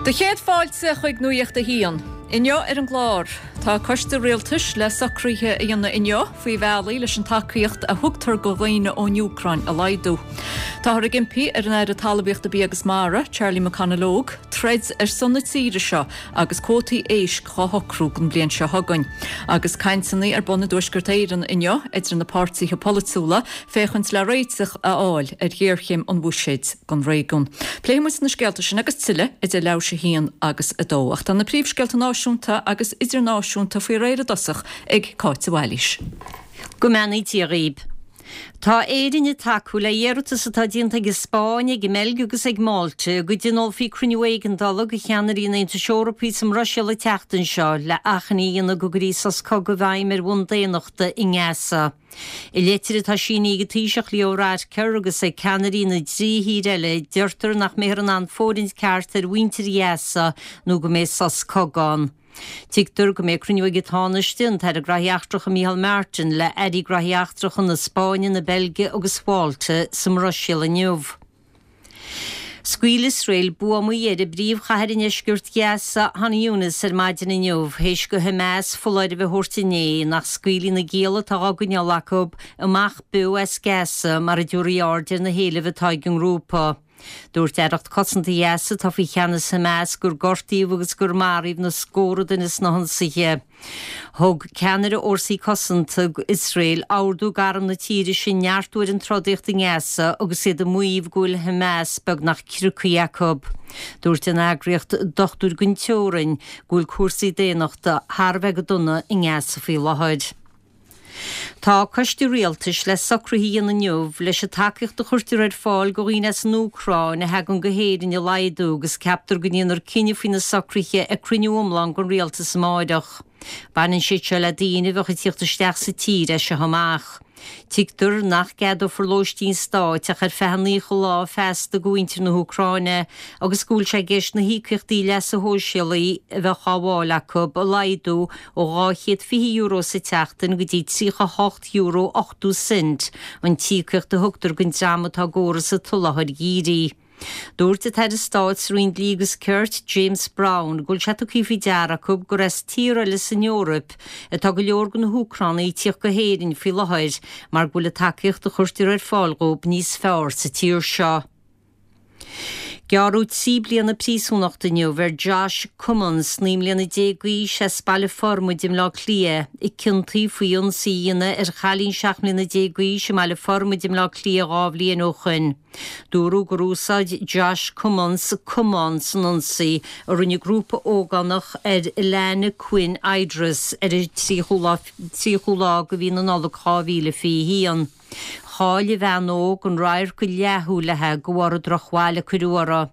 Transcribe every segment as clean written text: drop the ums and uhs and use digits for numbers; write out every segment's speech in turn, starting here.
Do chéad fáilte chuig Nuacht a hAon. Inniu ar an gclár, tá coiste rialtais le socruithe a dhéanamh inniu faoi bhealaí leis an tacaíocht a thugtar go dhaoine ón Úcráin a laghdú. Táthar ag impí ar an Aire Talmhaíochta Bia agus Mara, Charlie McConalogue, troid ar son na tíre seo agus cuótaí éisc dhá shocrú don bhliain seo chugainn. Agus cainteanna ar bun i dTuaisceart Éireann inniu idir na páirtithe polaitiúla féachaint le réiteach a fháil ar ghéarchéim an bhuiséid. don réigiún. Pléifidh muid na scéalta sin agus tuilleadh idir leathuair tar éis a haon agus a dó. Ach tá na príomhscéalta náisiúnta agus idirnáisiúnta faoi réir i dtosach ag Cáit de Bhailís. Go mbeannaí Dia dhaoib. Tá Éirinn ag tacú le hiarratas atá déanta ag an Spáinn, ag an mBeilg agus ag Málta go dtionólfaí cruinniú éigeandála de cheannairí an Aontais Eorpaigh sa mBruiséil an tseachtain seo le achainí a dhéanamh go gcuirfí sos cogaidh i bhfeidhm ar bhonn daonnachta i nGaza. I litir atá sínithe ag an Taoiseach Leo Varadkar agus ag ceannairí na dtrí thír eile, deirtear nach mbeifear in ann fóirithint ceart ar mhuintir Ghaza nó go mbeidh sos cogaidh ann. Tuigtear go mbeidh cruinniú ag an Tánaiste, an tAire Graithí Eachtracha Micheál Martin, le hairí graithí eachtracha na Spáinne, na Beilge agus Mhálta sa mBruiséil inniu. Scaoil Iosrael buamaí ar an bpríomhchathair i ndeisceart Ghaza, Khan Younis, ar maidin inniu, théis do Hamas foláireamh a thabhairt inné nach scaoilfí na gialla atá á gcoinneáil acu amach beo as Gaza mara dtabharfaí aird ar na héilimh atá ag an ngrúpa. Dúirt Aireacht Cosanta Ghaza, atá faoi cheannas Hamas, gur gortaíodh agus gur maraíodh na scórtha duine sna hionsaithe. Thug ceannaire fhórsaí cosanta Iosrael ordú d'arm na tíre sin neartú ar an trodaíocht i nGaza agus iad ag maíomh go bhfuil Hamas beagnach criocaithe acu. Dúirt an eagraíocht Dochtúir gan Teorainn go bhfuil cúrsaí daonnachta thar a bheith go dona i nGaza faoi láthair. Tá coiste rialtais le socruithe a dhéanamh inniu leis an tacaíocht a chuirtear ar fáil do dhaoine as an Úcráin a thagann go hÉirinn a laghdú agus ceaptar go ndéanfar cinneadh faoi na socruithe ag cruinniú iomlán den rialtas amáireach. Baineann siad seo le daoine a bheadh ag tíocht isteach sa tír as seo amach. Tuigtear nach gceadófar lóistín stáit ach ar feadh an 90 lá feasta do mhuintir na hÚcráine agus go bhfuil sé i gceist na híocaíochtaí leasa shóisialaigh a bheadh á bhfáil acu a laghdú ó €220 sa tseachtain go dtí €38 80 cent, an t-íocaíocht a thugtar don dream atá i gcóras an tsoláthair dhírigh. Dúirt an tAire Stáit sa Roinn Dlí agus Cirt, James Browne, go bhfuil sé tugtha faoi deara acu gur as tíortha eile san Eoraip atá go leor de na hÚcránaigh ag tíocht go hÉirinn faoi láthair mar go bhfuil an tacaíocht a chuirtear ar fáil dhóibh níos fearr sa tír seo. Gearradh 3 bliana príosúnachta inniu ar Josh Cummins, 19 mbliana d'aois, as Baile Formaid i mBleá Cliath, a ciontaíodh faoi ionsaí a dhéanamh ar chailín 17 mbliana d'aois i mBaile Formaid i mBleá Cliath 2 bhliain ó shoin. Dúradh gur úsáid Josh Cummins camán san ionsaí a rinne grúpa ógánach ar Alana Quinn Idris ar an 30ú lá de mhí na Nollag 2021. Chaill an bhean óg an radharc go leathshúil léi de bharr an drochbhail a cuireadh uirthi.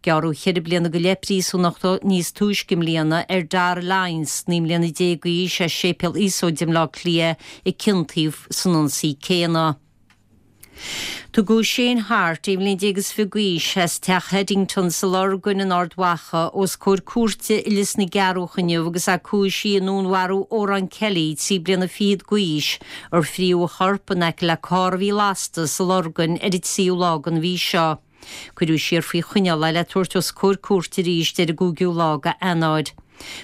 Gearradh cheithre bliana go leith príosúnachta níos túisce i mbliana ar Dara Lyons, 19 mbliana d'aois, as Séipéal Iosóid i mBleá Cliath, a ciontaíodh san ionsaí céanna. Tugadh Shane Harte, 21 mbliana is fiche d'aois, as Teach Haddington sa Lorgain in Ard Mhacha, os comhair cúirte i Lios na gCeathrúch inniu agus é cúisithe i ndúnmharú Odhrán Kelly, 3 bliana fichead d'aois, ar fríodh a chorp in aice le carr a bhí lasta sa Lorgain ar an tríú lá den mhí seo. Cuireadh siar faoi choinneáil é le tabhairt os comhair cúirte arís ar an gcúigiú lá de Eanáir.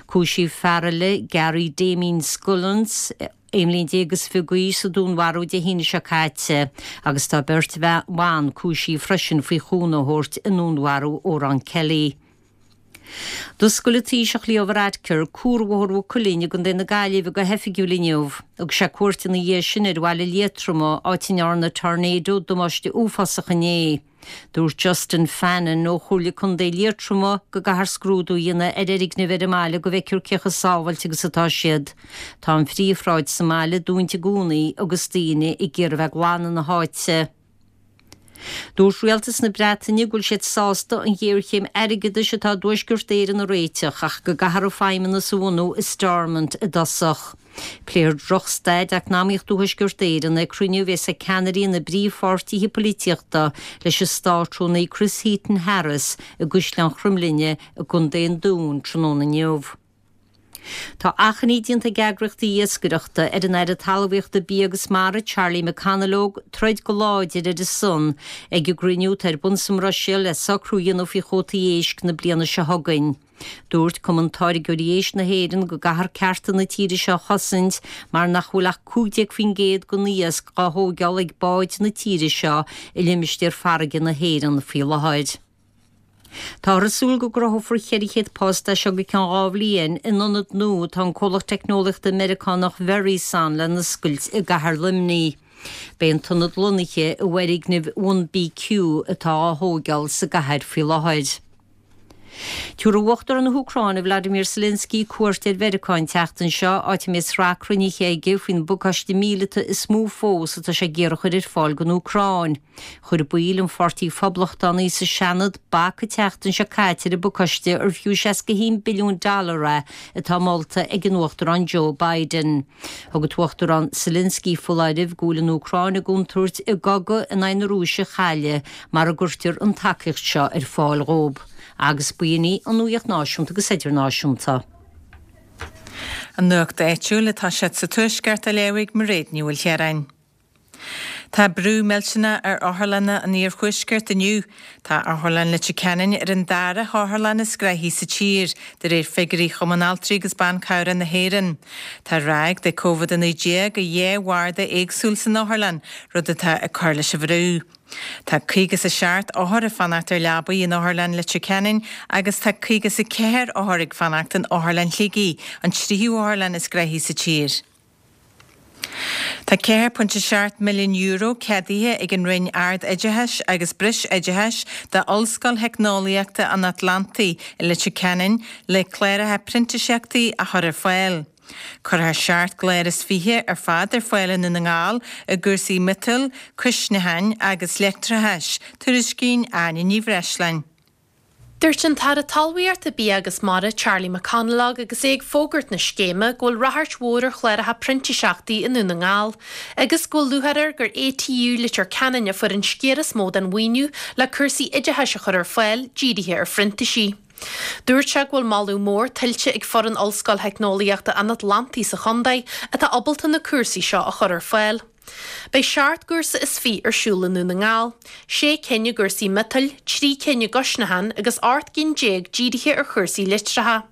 Cúisíodh fear eile, Gary Damien Scullins, 11 mbliain is fiche d'aois, sa dúnmharú Dé hAoine seo caite agus tá beirt bhan cúisithe freisin faoi chúnamh a thabhairt i ndúnmharú Odhrán Kelly. D'oscail an Taoiseach Leo Varadkar Cuarbhóthar Mhaigh Cuilinn i gContae na Gaillimhe go hoifigiúil inniu. Thug sé cuairt ina dhiaidh sin ar bhaile Liatroma, áit a ndearna tornado damáiste uafásach inné. Dúirt Justin Fannin ó Chomhairle Contae Liatroma go gcaithfear scrúdú a dhéanamh ar fhoirgnimh ar an mbaile go bhfeicfear cé chomh sábháilte agus atá siad. Tá an phríomhshráid sa mbaile dúnta i gcónaí agus daoine ag iarraidh a bheith ag glanadh na háite. Dúirt Rialtas na Breataine go bhfuil siad sásta an ghéarchéim airgeadais atá i dTuaisceart Éireann a réiteach ach go gcaithfear an Feidhmeannas a bhunú i Stormont i dtosach. Pléifear drochstaid eacnamaíochta Thuaisceart Éireann ag cruinniú a bheas ag ceannairí na bpríomhpháirtithe polaitíochta leis an Státrúnaí Chris Heaton-Harris i gCaisleán Chromghlinne i gContae an Dúin tráthnóna inniu. Tá achainí déanta ag eagraíochtaí iascaireachta ar an Aire Talmhaíochta, Bia agus Mara, Charlie McConalogue, troid go láidir ar a son ag an gcruinniú atá ar bun sa mBruiséil le socrú a dhéanamh faoi chuótaí éisc na bliana seo chugainn. Dúirt Cumann Táirgeoirí Éisc na hÉireann go gcaithfear cearta na tíre seo a chosaint mar nach bhfuil ach 15% den iasc dhá thóigeáil ag báid na tíre seo i limistéar farraige na hÉireann faoi láthair. Táthar ag súil go gcruthófar 400 post as seo go ceann 2 bhliain in ionad nua atá an comhlacht teicneolaíochta Meiriceánach Verizon le n-oscailt i gcathair Luimnigh. Beidh an t-ionad lonnaithe i bhfoirgneamh One BQ atá á thóigeáil sa gcathair faoi láthair. Tabharfaidh Uachtarán na hÚcráine Vladimir Zelensky cuairt ar Mheiriceá an tseachtain seo, áit a mbeidh sraith cruinnithe aige faoin bpacáiste míleata is mó fós atá sé ag iarraidh a chur ar fáil don Úcráin. Chuir baill an Pháirtí Phoblachtánaigh sa Seanad bac an tseachtain seo caite ar an bpacáiste ar fiú 61 billiún dollar é atá molta ag an Uachtarán Joe Biden. Thug an tUachtarán Zelensky foláireamh go bhfuil an Úcráin i gcontúirt a gcogadh in aghaidh na Rúise a chailleadh mara gcuirtear an tacaíocht seo ar fáil dhóibh. Agus b'in í an nuacht náisiúnta agus idirnáisiúnta. An nuacht áitiúil atá sé sa Tuaisceart á léamh ag Mairéad Ní Mhaoilchiaráin. Tá brú millteanach ar otharlanna an iarthuaiscirt inniu. Tá Otharlann Leitir Ceanainn ar an dara hotharlann is gnoithí sa tír, de réir figiúirí Chumann Altraí agus Ban Cabhrach na hÉireann. Tá ráig de Covid-19 i dhá bharda éagsúil san otharlann, rud atá ag cur leis an bhrú. Tá 57 othar ag fanacht ar leabaí in Otharlann Leitir Ceanainn agus tá 54 othar ag fanacht in Otharlann Shligigh, an tríú hotharlann is gnoithí sa tír. Tá €4.7 milliún ceadaithe ag an Roinn Ard-Oideachais agus Breisoideachais d'Ollscoil Theicneolaíochta an Atlantaigh i Leitir Ceanainn le cláracha printíseachtaí a chur ar fáil. Cuirfear seacht gclár is fiche ar fad ar fáil i nDún na nGall i gcúrsaí miotail, cuisneacháin agus leictreachais, tuairiscíonn Áine Ní Bhreisleáin. Dúirt an tAire Talmhaíochta, Bia agus Mara, Charlie McConalogue agus é ag fógairt na scéime go bhfuil ráchairt mhór ar chláracha printíseachtaí i nDún na nGall agus go bhfuil lúcháir air gur ATU Leitir Ceanainn a fuair an sciar is mó den mhaoiniú le cúrsaí oideachais a chur ar fáil dírithe ar phrintísigh. Dúirt sé go bhfuil moladh mór tuillte ag foireann Ollscoil Theicneolaíochta an Atlantaigh sa chontae atá ábalta na cúrsaí seo a chur ar fáil. Beidh seacht gcúrsa is fiche ar siúl i nDún na nGall, sé cinn i gcúrsaí miotail, trí cinn i gcuisneachán agus 18 gcinn dírithe ar chúrsaí litreacha.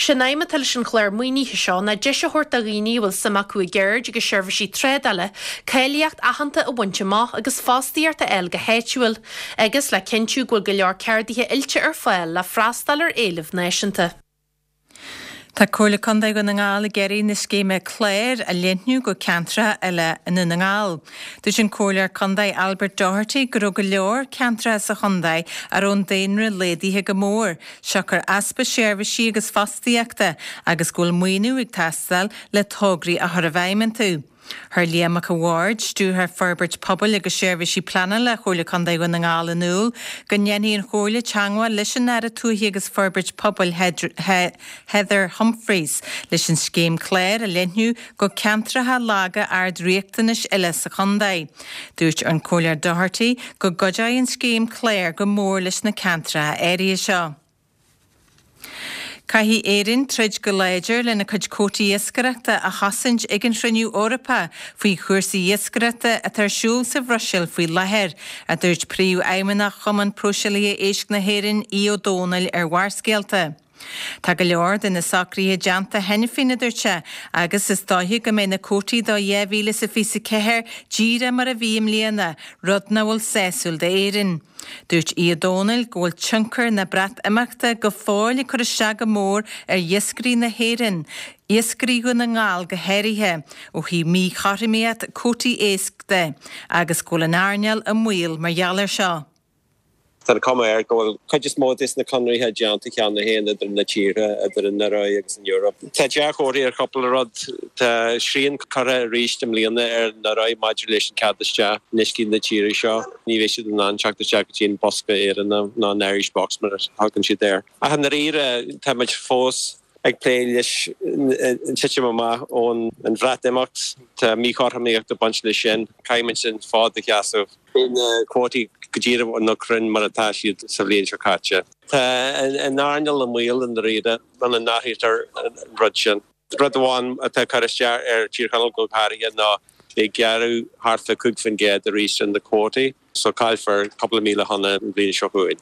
Sé'n aidhm atá leis an chlár maoinithe seo ná deis a thabhairt do dhaoine a bhfuil suim acu i gceird agus seirbhísí trádála cáilíocht aitheanta a bhaint amach agus fostaíocht a fháil go háitiúil, agus le cinntiú go bhfuil go leor ceardaithe oilte ar fáil le freastal ar éileamh náisiúnta. Tá Comhairle Contae Dhún na nGall ag iarraidh na scéime Clár a leathnú go ceantracha eile i nDún na nGall. Dúirt an Comhairleoir Contae Albert Doherty go raibh go leor ceantracha sa chontae a raibh an daonra laghdaithe go mór, siocair easpa seirbhísí agus fostaíochta agus go bhfuil maoiniú ag teastáil le tograí a chur i bhfeidhm iontu. Chuir Liam Mac a' Bhaird, Stiúrthóir Forbairt Pobail agus Seirbhísí Pleanála Chomhairle Contae Dhún na nGall in iúl go ndéanfaidh an Chomhairle teagmháil leis an Aire Tuaithe agus Forbairt Pobail Heather Humphreys leis an scéim Clár a leathnú go ceantracha laga ard-riachtanais eile sa chontae. Dúirt an Comhairleoir Doherty go gcuideoidh an scéim Clár go mór leis na ceantracha áirithe seo. Caithfidh Éirinn troid go láidir lena cuid cótaí iascaireachta a chosaint ag an Chruinniú Eorpach faoi chúrsaí iascaireachta atá ar siúl sa Bhruiséil faoi láthair, a dúirt Príomhfheidhmeannach Chumann Próiseálaithe Éisc na hÉireann, Aodh Ó Domhnaill ar Bharrscéalta. Tá go leor de na socruithe déanta cheana féin, a dúirt sé, agus is dóiche go mbeidh na cótaí do 2024 díreach mar a bhí i mbliana, rud nach bhfuil sásúil d'Éirinn. Dúirt Aodh Ó Domhnaill go bhfuil tionchar na Breatimeachta go fóill ag cur isteach go mór ar iascairí na hÉireann, iascairí Dhún na nGall go háirithe, ó thaobh míchothromaíocht cuótaí éisc de, agus go bhfuil an earnáil i mbaol mar gheall air seo. Tá an chuma air go bhfuil cuid is mó des na conraithe déanta cheana féin idir na tíortha, idir an Ioruaidh agus an Eoraip. Tá dea-chomharthaí ar chúpla rud. Tá srian curtha arís i mbliana ar an Ioruaidh maidir leis an cead isteach in uiscí na tíre seo. Ní bheidh siad in ann teacht isteach go dtí an bosca Éireannach nó an Irish Box mar a thugann siad air. Ach i ndáiríre, tá muid fós ag plé leis an titim amach ón Bhreatimeacht. Tá míchothromaíocht ag baint leis sin. Caithfidh muid an fód a sheasamh. Beidh na cuótaí. go díreach nó cruinn mar atá siad sa bhliain seo caite. Tá an earnáil i mbaol i ndáiríre muna n-athraítear an rud sin. Rud amháin atá ag cur isteach ar Thír Chonaill go háirithe ná beidh gearradh thart fá 5% arís ar na cuótaí so caillfear cúpla 1,000 tonna an bhliain seo chugainn.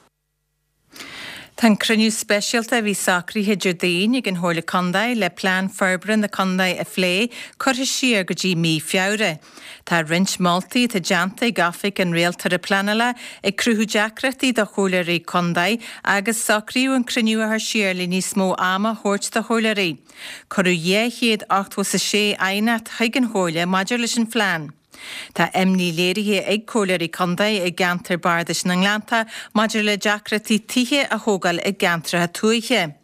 Tá an cruinniú speisialta a bhí socraithe Déardaoin ag an Chomhairle Contae le plean forbartha na contae a phlé curtha siar go dtí mí Feabhra. Tá roinnt moltaí atá déanta ag Oifig an Rialtóra Pleanála ag cruthú deacrachtaí do chomhairleoirí contae agus socraíodh an cruinniú a chur siar le níos mó ama a thabhairt do chomhairleoirí. Cuireadh 286 aighneacht chuig an Chomhairle maidir leis an phlean. Tá imní léirithe ag Comhairleoirí Contae i gceantar Bardais na nGleannta maidir le deacrachtaí tithe a thógáil i gceantracha tuaithe.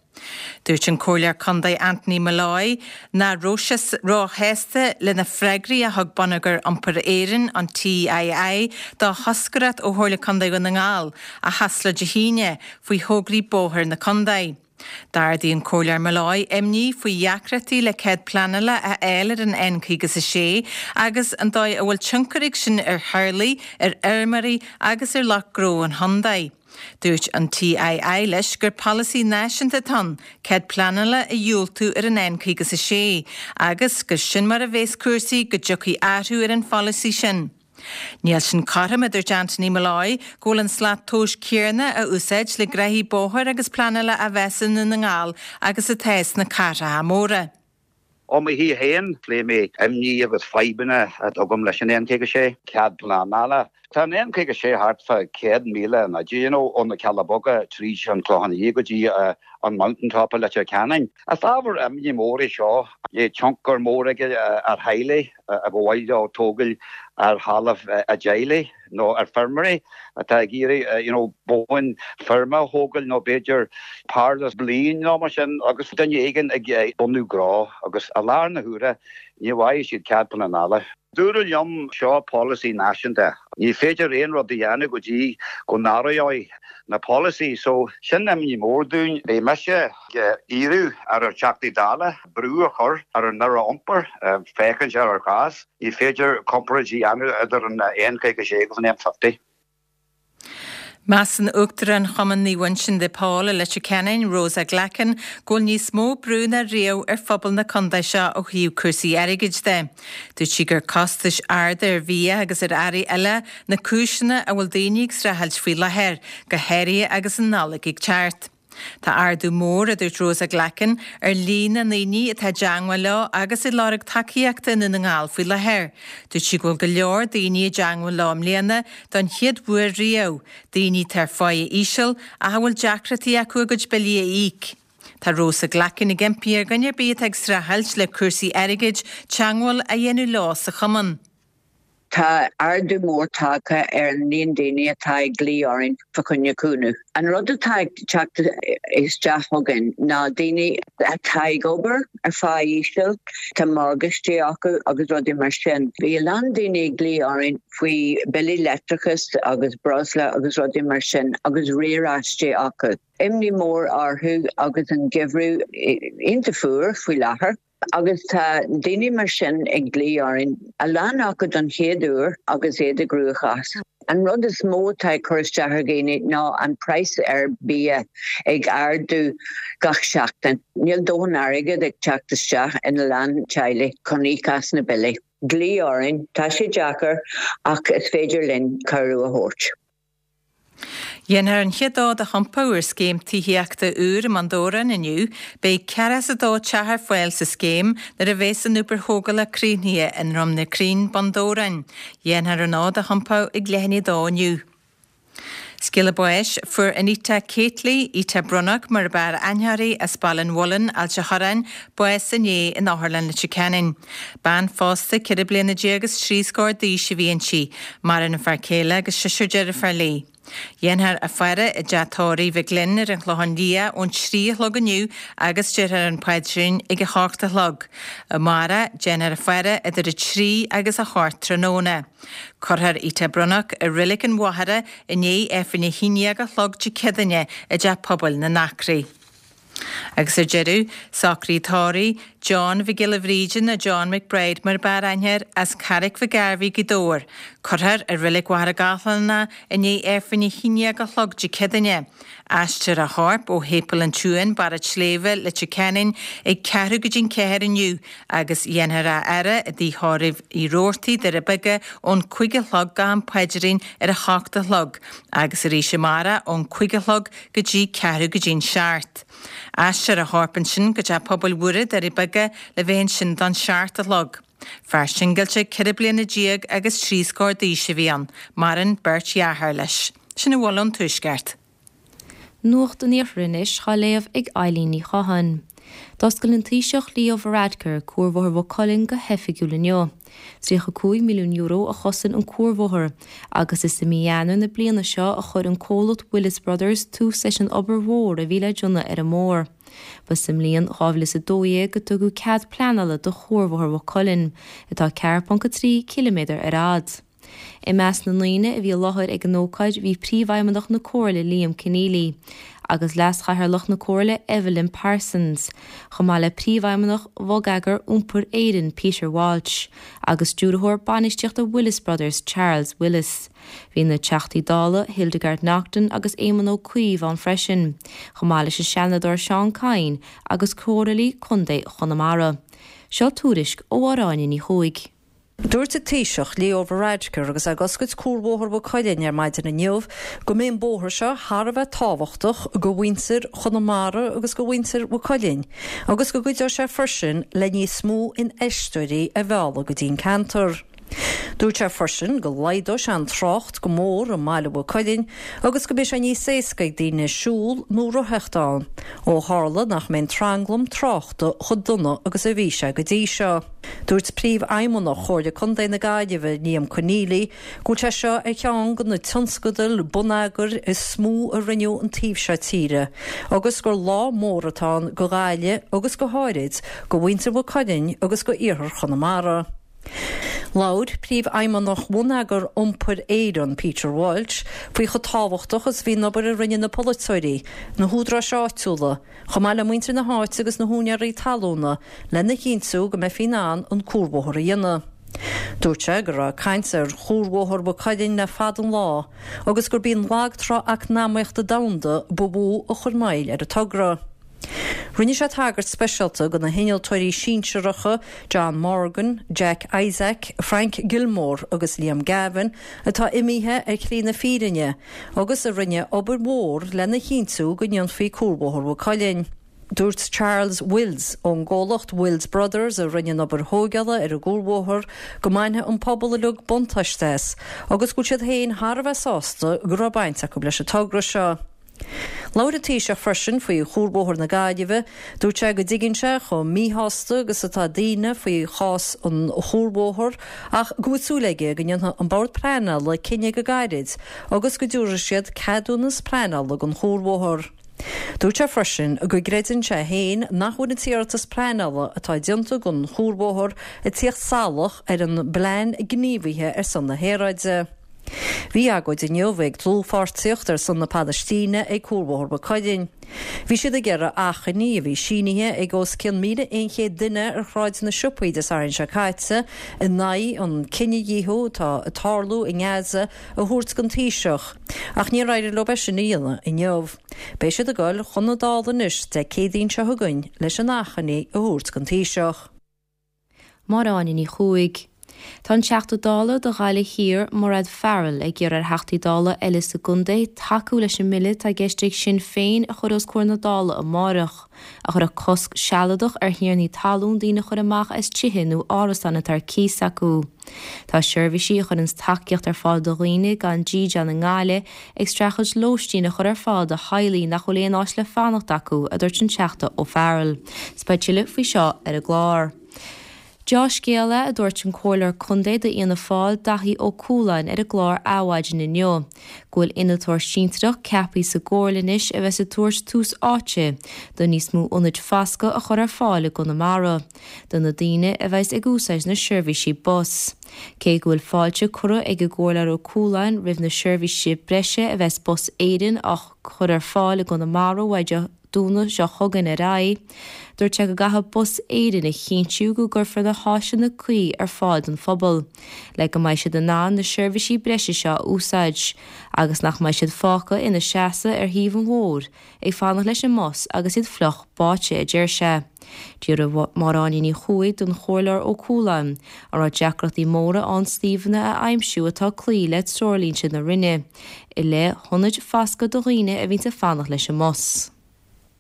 Dúirt an Comhairleoir Contae Anthony Molloy nach raibh sé róshásta le na freagraí a thug Bonneagar Iompair Éireann, an TII, do thoscaireacht ó Chomhairle Contae Dhún na nGall, a chas leo Dé hAoine, faoi thograí bóthair na contae. D'ardaigh an Comhairleoir Molloy imní faoi dheacrachtaí le cead pleanála a fháil ar an N56 agus an dóigh a bhfuil tionchar ag sin ar theaghlaigh, ar fheirmeoirí agus ar lucht gnó an chontae. Dúirt an TII leis gur polasaí náisiúnta atá ann cead pleanála a dhiúltú ar an N56 agus gur sin mar a bheas cúrsaí go dtiocfaidh athrú ar an pholasaí sin. Níl sin cothrom, a dúirt Anthony Molloy, go bhfuil an slat tomhais céanna á úsáid le gnoithí bóthair agus pleanála á mheas i nDún na nGall agus atá sna cathracha móra. Ó mo thaobh féin, phléigh mé imní agus fadhbanna atá agam leis an N56. Cead pleanála. Tá an N56 thart fá 100 míle in fhaide, you know, ó na Cealla Beaga tríd an Clochán Liath go dtí an Mountain Top i Leitir Ceanainn. Is ábhar imní mór é seo. Beidh tionchar mór aige ar theaghlaigh a ba mhaith leo tógáil ar thalamh a dteaghlaigh nó ar feirmeoirí atá ag iarraidh you know bóin feirme a thógáil nó b'fhéidir parlus bliain nó mar sin agus duine éigin ag bunú gnó agus i lár na huaire ní bhfaighidh siad cead pleanála. Dúradh liom, seo polasaí náisiúnta, ní féidir aon rud a dhéanamh go dtí go n-athróidh na polasaí so sin imní mór dúinn. Beidh mise ag iarraidh ar ár dTeachtaí Dála brú a chur ar an Aire Iompair féachaint ar ár gcás. Ní féidir comparáid a dhéanamh idir an N56 agus an M50. Measann Uachtarán Chumann Naomh Uinseann de Pól i Leitir Ceanainn, Rosa Glackin, go bhfuil níos mó brú ná riamh ar phobal na contae seo ó thaobh cúrsaí airgid de. Dúirt sí gur costais arda ar bhia agus ar earraí eile na cúiseanna a bhfuil daoine ag streachailt faoi láthair, go háirithe agus an Nollaig ag teacht. Tá ardú mór, a dúirt Rosa Glackin, ar líon na ndaoine atá i dteangmháil leo agus ag lorg tacaíochta i nDún na nGall faoi láthair. Dúirt sí go bhfuil go leor daoine i dteangmháil leo i mbliana don chéad uair riamh, daoine atá ar pháighe íseal ach a bhfuil deacrachtaí acu a gcuid billí a íoc. Tá Rosa Glackin ag impí ar dhuine ar bith atá ag streachailt le cúrsaí airgid teangmháil a dhéanamh leo sa chumann. Tá ardú mór tagtha ar an líon daoine atá ag glaoch orainn fá choinne cúnamh. An rud atá ag teacht isteach chugainn ná daoine atá ag obair ar phá íseal, tá morgáistí acu agus rudaí mar sin. Bhí a lán daoine ag glaoch orainn faoi billí leictreachais agus breosla agus rudaí mar sin agus riaráistí acu. Imní mór orthu agus an geimhreadh iontach fuar faoi láthair. Agus tá daoine mar sin ag glaoch orainn, a lán acu don chéad uair agus iad i gcruachás. An rud is mó atá ag cur isteach ar dhaoine ná an praghas ar bia ag ardú gach seachtain. Níl dóthain airgead ag teacht isteach ina lán teaghlaigh chun íoc as na billí. Glaoigh orainn, tá sé deacair ach is féidir linn cabhrú a thabhairt. Dhéanfar an chéad fhód a thiompú ar scéim tithíochta úr i mBun Dobhráin inniu. Beidh 42 teach ar fáil sa scéim nuair a bheas an obair thógála críochnaithe i nDroim na Cruinn, Bun Dobhráin. Dhéanfar an fhód a thiompú ag leath i ndiaidh a dó inniu. Scéala báis, Fuair Anita Keightley, Ita Bronnach mar ab fhearr aithne uirthi, as Baile an Mhuilinn, Ailt a' Chorráin, bás inné in Otharlann Leitir Ceanainn. Bean phósta, 14 bliana is trí scór d'aois a bhí inti. Maireann a fear céile agus seisear deirféar léi. Dhéanfar a faire i dteach tórraimh Mhic Fhloinn ar an Chlochán Liath ón 3 a chlog inniu agus déarfar an paidrín ag a hocht a chlog. Amárach, déanfar a faire idir 3 agus 8 tráthnóna. Cuirfear Ita Bronnach i Reilig an Mhachaire i ndiaidh Aifreann 11 a chlog Dé Céadaoine i dTeach Pobail na nAcraí. Agus ar deireadh, socruithe tórraimh John Mhic Giolla Bhríde nó John McBride mar ab fhearr aithne air, as Carraig Mhic Gairbhí, Gaoth Dobhair. Cuirfear i Reilig Mhachaire Gathlán é i ndiaidh Aifreann a 11 a chlog Dé Céadaoine. Aistreofar a chorp ó Shéipéal an tSiúin, Barra an tSléibhe, Leitir Ceanainn ag ceathrú go dtí'n cheathair inniu agus dhéanfar é a fhaire i dTigh Thórraimh Uí Robhartaigh, Doire Beaga ón cúig a chlog go an paidrín ar a hocht a chlog agus arís amárach ón cúig a chlog go dtí ceathrú go dtí'n seacht. Aistreofar a chorp ansin go Teach Pobail Mhuire, Doirí Beaga le bheith ansin don seacht a chlog. Fear singilte 14 bliana agus trí scór d'aois a bhí ann. Maireann beirt dheartháir leis. Sin a bhfuil ón Tuaisceart. Nuacht an Iarthair anois á léamh ag Eilín Ní Chatháin. D'oscail an Taoiseach Leo Varadkar Cuarbhóthar Mhaigh Cuilinn go hoifigiúil inniu. €35 milliún a chosain an cuarbhóthar agus is i mí Eanáir na bliana seo a chuir an comhlacht Willis Brothers tús leis an obair mhór a bhí le déanamh ar an mbóthar. Ba sa mbliain 2012 a tugadh cead pleanála do Chuarbhóthar Mhaigh Cuilinn, atá 4.3 ciliméadar ar fhad. I measc na ndaoine a bhí i láthair ag an ócáid bhí Príomhfheidhmeannach na Comhairle Liam Conneally agus Leas-Chathaoirleach na Comhairle Evelyn Parsons, chomh maith le Príomhfheidhmeannach Bhonneagar Iompair Éireann Peter Walsh agus Stiúrthóir Bainistíochta Willis Brothers Charles Willis. Bhí na Teachtaí Dála Hildegarde Naughton agus Éamon Ó Cuív ann freisin, chomh maith leis an Seanadóir Seán Kyne agus Comhairleoirí Contae Chonamara. Seo tuairisc ó Mháire Áine Ní Chuaig. Dúirt an Taoiseach, Leo Varadkar, agus é ag oscailt Cuarbhóthar Mhaigh Cuilinn ar maidin inniu, go mbeidh an bóthar seo thar a bheith tábhachtach do mhuintir Chonamara agus do mhuintir Mhaigh Cuilinn agus go gcuideoidh sé freisin le níos mó infheisteoirí a mhealladh go dtí an ceantar. Dúirt sé freisin go laghdóidh sé an trácht go mór i mbaile Mhaigh Cuilinn agus go mbeidh sé níos éasca ag daoine siúl nó rothaíocht ann, ó tharla nach mbeidh an tranglam tráchta chomh dona agus a bhí sé go dtí seo. Dúirt Príomhfheidhmeannach Chomhairle Contae na Gaillimhe, Liam Conneally, go bhfuil sé seo ar cheann de na tionscadail bonneagair is mó a rinneadh an taobh seo tíre agus gur lá mór atá ann do Ghaillimh agus go háirid do mhuintir Mhaigh Cuilinn agus do iarthar Chonamara. Labhair Príomhfheidhmeannach Bhonneagar Iompair Éireann, Peter Walsh, faoi chomh tábhachtach is a bhí an obair a rinne na polaiteoirí, na húdaráis áitiúla, chomh maith le muintir na háite agus na húinéirí talúna lena chinntiú go mbeifí in ann an cuarbhóthar a dhéanamh. Dúirt sé go raibh caint ar chuarbhóthar Mhaigh Cuilinn le fada an lá agus gurb í an lag trá eacnamaíochta domhanda ba mhó a chuir moill ar an togra. Rinne sé tagairt speisialta do na hinnealtóirí sinsearacha John Morgan, Jack Isaac, Frank Gilmore agus Liam Gavin atá imithe ar shlí na fírinne agus a rinne obair mhór lena chinntiú go ndéanfaí Cuarbhóthar Mhaigh Cuilinn. Dúirt Charles Wills ón gcomhlacht Wills Brothers a rinne an obair thóigeála ar an gcuarbhóthar go mbainfidh an pobal uilig buntáiste as agus go bhfuil siad féin thar a bheith sásta go raibh baint acu leis an togra seo. Labhair an Taoiseach freisin faoi Chuarbhóthar na Gaillimhe. Dúirt sé go dtuigeann sé chomh míshásta agus atá daoine faoi chás an chuarbhóthair ach go bhfuil súil aige go ndéanfaidh an Bord Pleanála cinneadh go gairid agus go dtabharfaidh siad ceadúnas pleanála don chuarbhóthar. Dúirt sé freisin go gcreideann sé féin nach bhfuil an t-iarratas pleanála atá déanta don chuarbhóthar ag tíocht salach ar an bPlean Gníomhaithe ar son na hAeráide. Bhí agóid inniu ag Dlúthpháirtíocht ar son na Palaistíne ag Cuarbhóthar Mhaigh Cuilinn. Bhí siad ag iarraidh achainí a bhí sínithe ag os cionn 1,100 duine ar Shráid na Siopaí Dé Sathairn seo caite in aghaidh an cinedhíothú atá ag tarlú i nGaza a thabhairt don Taoiseach, ach níor éirigh leo é sin a dhéanamh inniu. Beidh siad ag dul chun na Dála anois Dé Céadaoin seo chugainn leis an achainí a thabhairt don Taoiseach. Máire Áine Ní Chuaig. Tá an Teachta Dála do Ghaillimh Thiar, Mairéad Farrell, ag iarraidh ar Theachtaí Dála eile sa gcontae tacú leis an mbille atá i gceist ag Sinn Féin a chur os comhair na Dála amárach, a chuirfeadh cosc sealadach ar thiarnaí talún daoine a chur amach as tithe nó árasáin atá ar cíos acu. Tá seirbhísí a chuireanns tacaíocht ar fáil do dhaoine gan dídean i nGaillimh ag streachailt lóistín a chur ar fáil do theaghlaigh nach bhfuil aon áit le fanacht acu, a dúirt an Teachta O'Farrell. 'S beidh tuilleadh faoi seo ar an gclár. Deá-scéal é, a dúirt an Comhairleoir Contae d'Fhianna Fáil, Daithí Ó Cualáin ar an gclár Adhmhaidin inniu, go bhfuil innealtóir sinsearach ceaptha sa gComhairle anois a bheas ag tabhairt tús áite do níos mó ionaid foscaidh a chur ar fáil i gConamara. do na daoine a bheas ag úsáid na seirbhísí bus. Cé go bhfuil fáilte curtha ag an gComhairleoir Ó Cualáin roimh na seirbhísí breise a bheas Bus Éireann á chur ar fáil i gConamara uaidh. Domhnach seo chugainn ar aghaidh. Dúirt sé go gcaithfidh Bus Éireann a chinntiú go gcuirfear na háiseanna cuí ar fáil don phobal le go mbeidh siad in ann na seirbhísí breise seo a úsáid agus nach mbeidh siad fágtha ina seasamh ar thaobh an bhóthair ag fanacht leis an mbus agus iad fliuch báite, a deir sé. D'fhiafraigh Máire Áine Ní Chuaig den Chomhairleoir Ó Cualáin an raibh deacrachtaí móra ann suíomhanna a aimsiú atá ag cloí le treoirlínte na Roinne i leith hionaid foscaidh do dhaoine a bhíonns ag fanacht leis an mbus.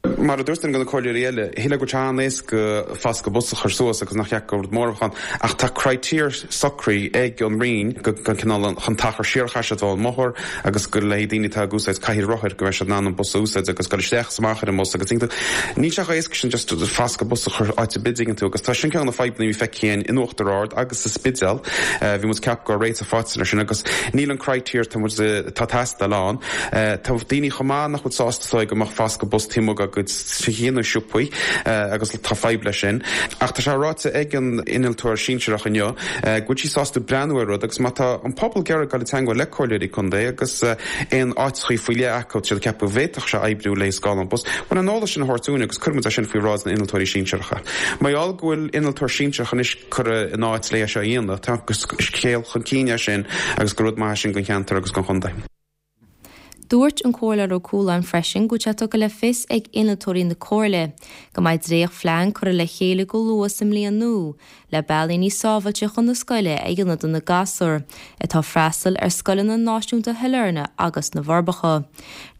Mar a dúirt duine de na comhairleoirí eile, shílfeá go bhfuil sé an-éasca foscadh bus a chur suas agus nach cheart gur rud mór a bheadh ann, ach tá criteria socraithe ag an Roinn go cineál an t-achar siar a chaithfidh siad ón mbóthar agus go le haghaidh daoine atá ag úsáid cathaoir rothair go mbeidh siad in ann an bus a úsáid agus dul isteach is amach ar an mbus agus tuigeann tú, níl sé chomh éasca sin just foscadh bus a chur áit ar bith tuigeann tú agus tá sin ceann de na fadhbanna a bhí feicthe againn in Uachtar Ard agus sa Spidéal. Bhí muid ag ceapadh go raibh réiteach faighte air sin agus níl an criteria atá muid atá ag teastáil ann. Tá daoine chomh maith nach bhfuil sásta is dóigh go mbeadh foscadh bus taobh amuigh dá gcuid tithe nó siopaí agus tá fadhb leis sin. Ach tá sé ráite ag an innealtóir sinsearach inniu go bhfuil sí sásta breathnú ar rud agus má tá an pobal ag iarraidh dul i dteangmháil le comhairleoirí contae agus aon áiteachaí faoi leith acu tá siad ag ceapadh go bhféadfadh sé oibriú le scáileán bus, bhuel an eolas sin a thabhairt dúinn agus cuirfidh muid é sin faoi bhráid na n-innealtóirí sinsearacha. Mar gheall go bhfuil innealtóir sinsearach anois curtha in áit le é seo a dhéanamh, tá scéal chun cinn é sin agus gur rud maith é sin don cheantar agus don chontae. Dúirt an Comhairleoir Ó Cualáin freisin go bhfuil sé tugtha le fios ag innealtóirí na Comhairle go mbeidh dréacht-phlean curtha le chéile go luath sa mbliain nua le bealaí níos sábháilte chun na scoile a dhéanamh do na gasúir atá ag freastal ar scoileanna náisiúnta Shailearna agus na bhForbacha.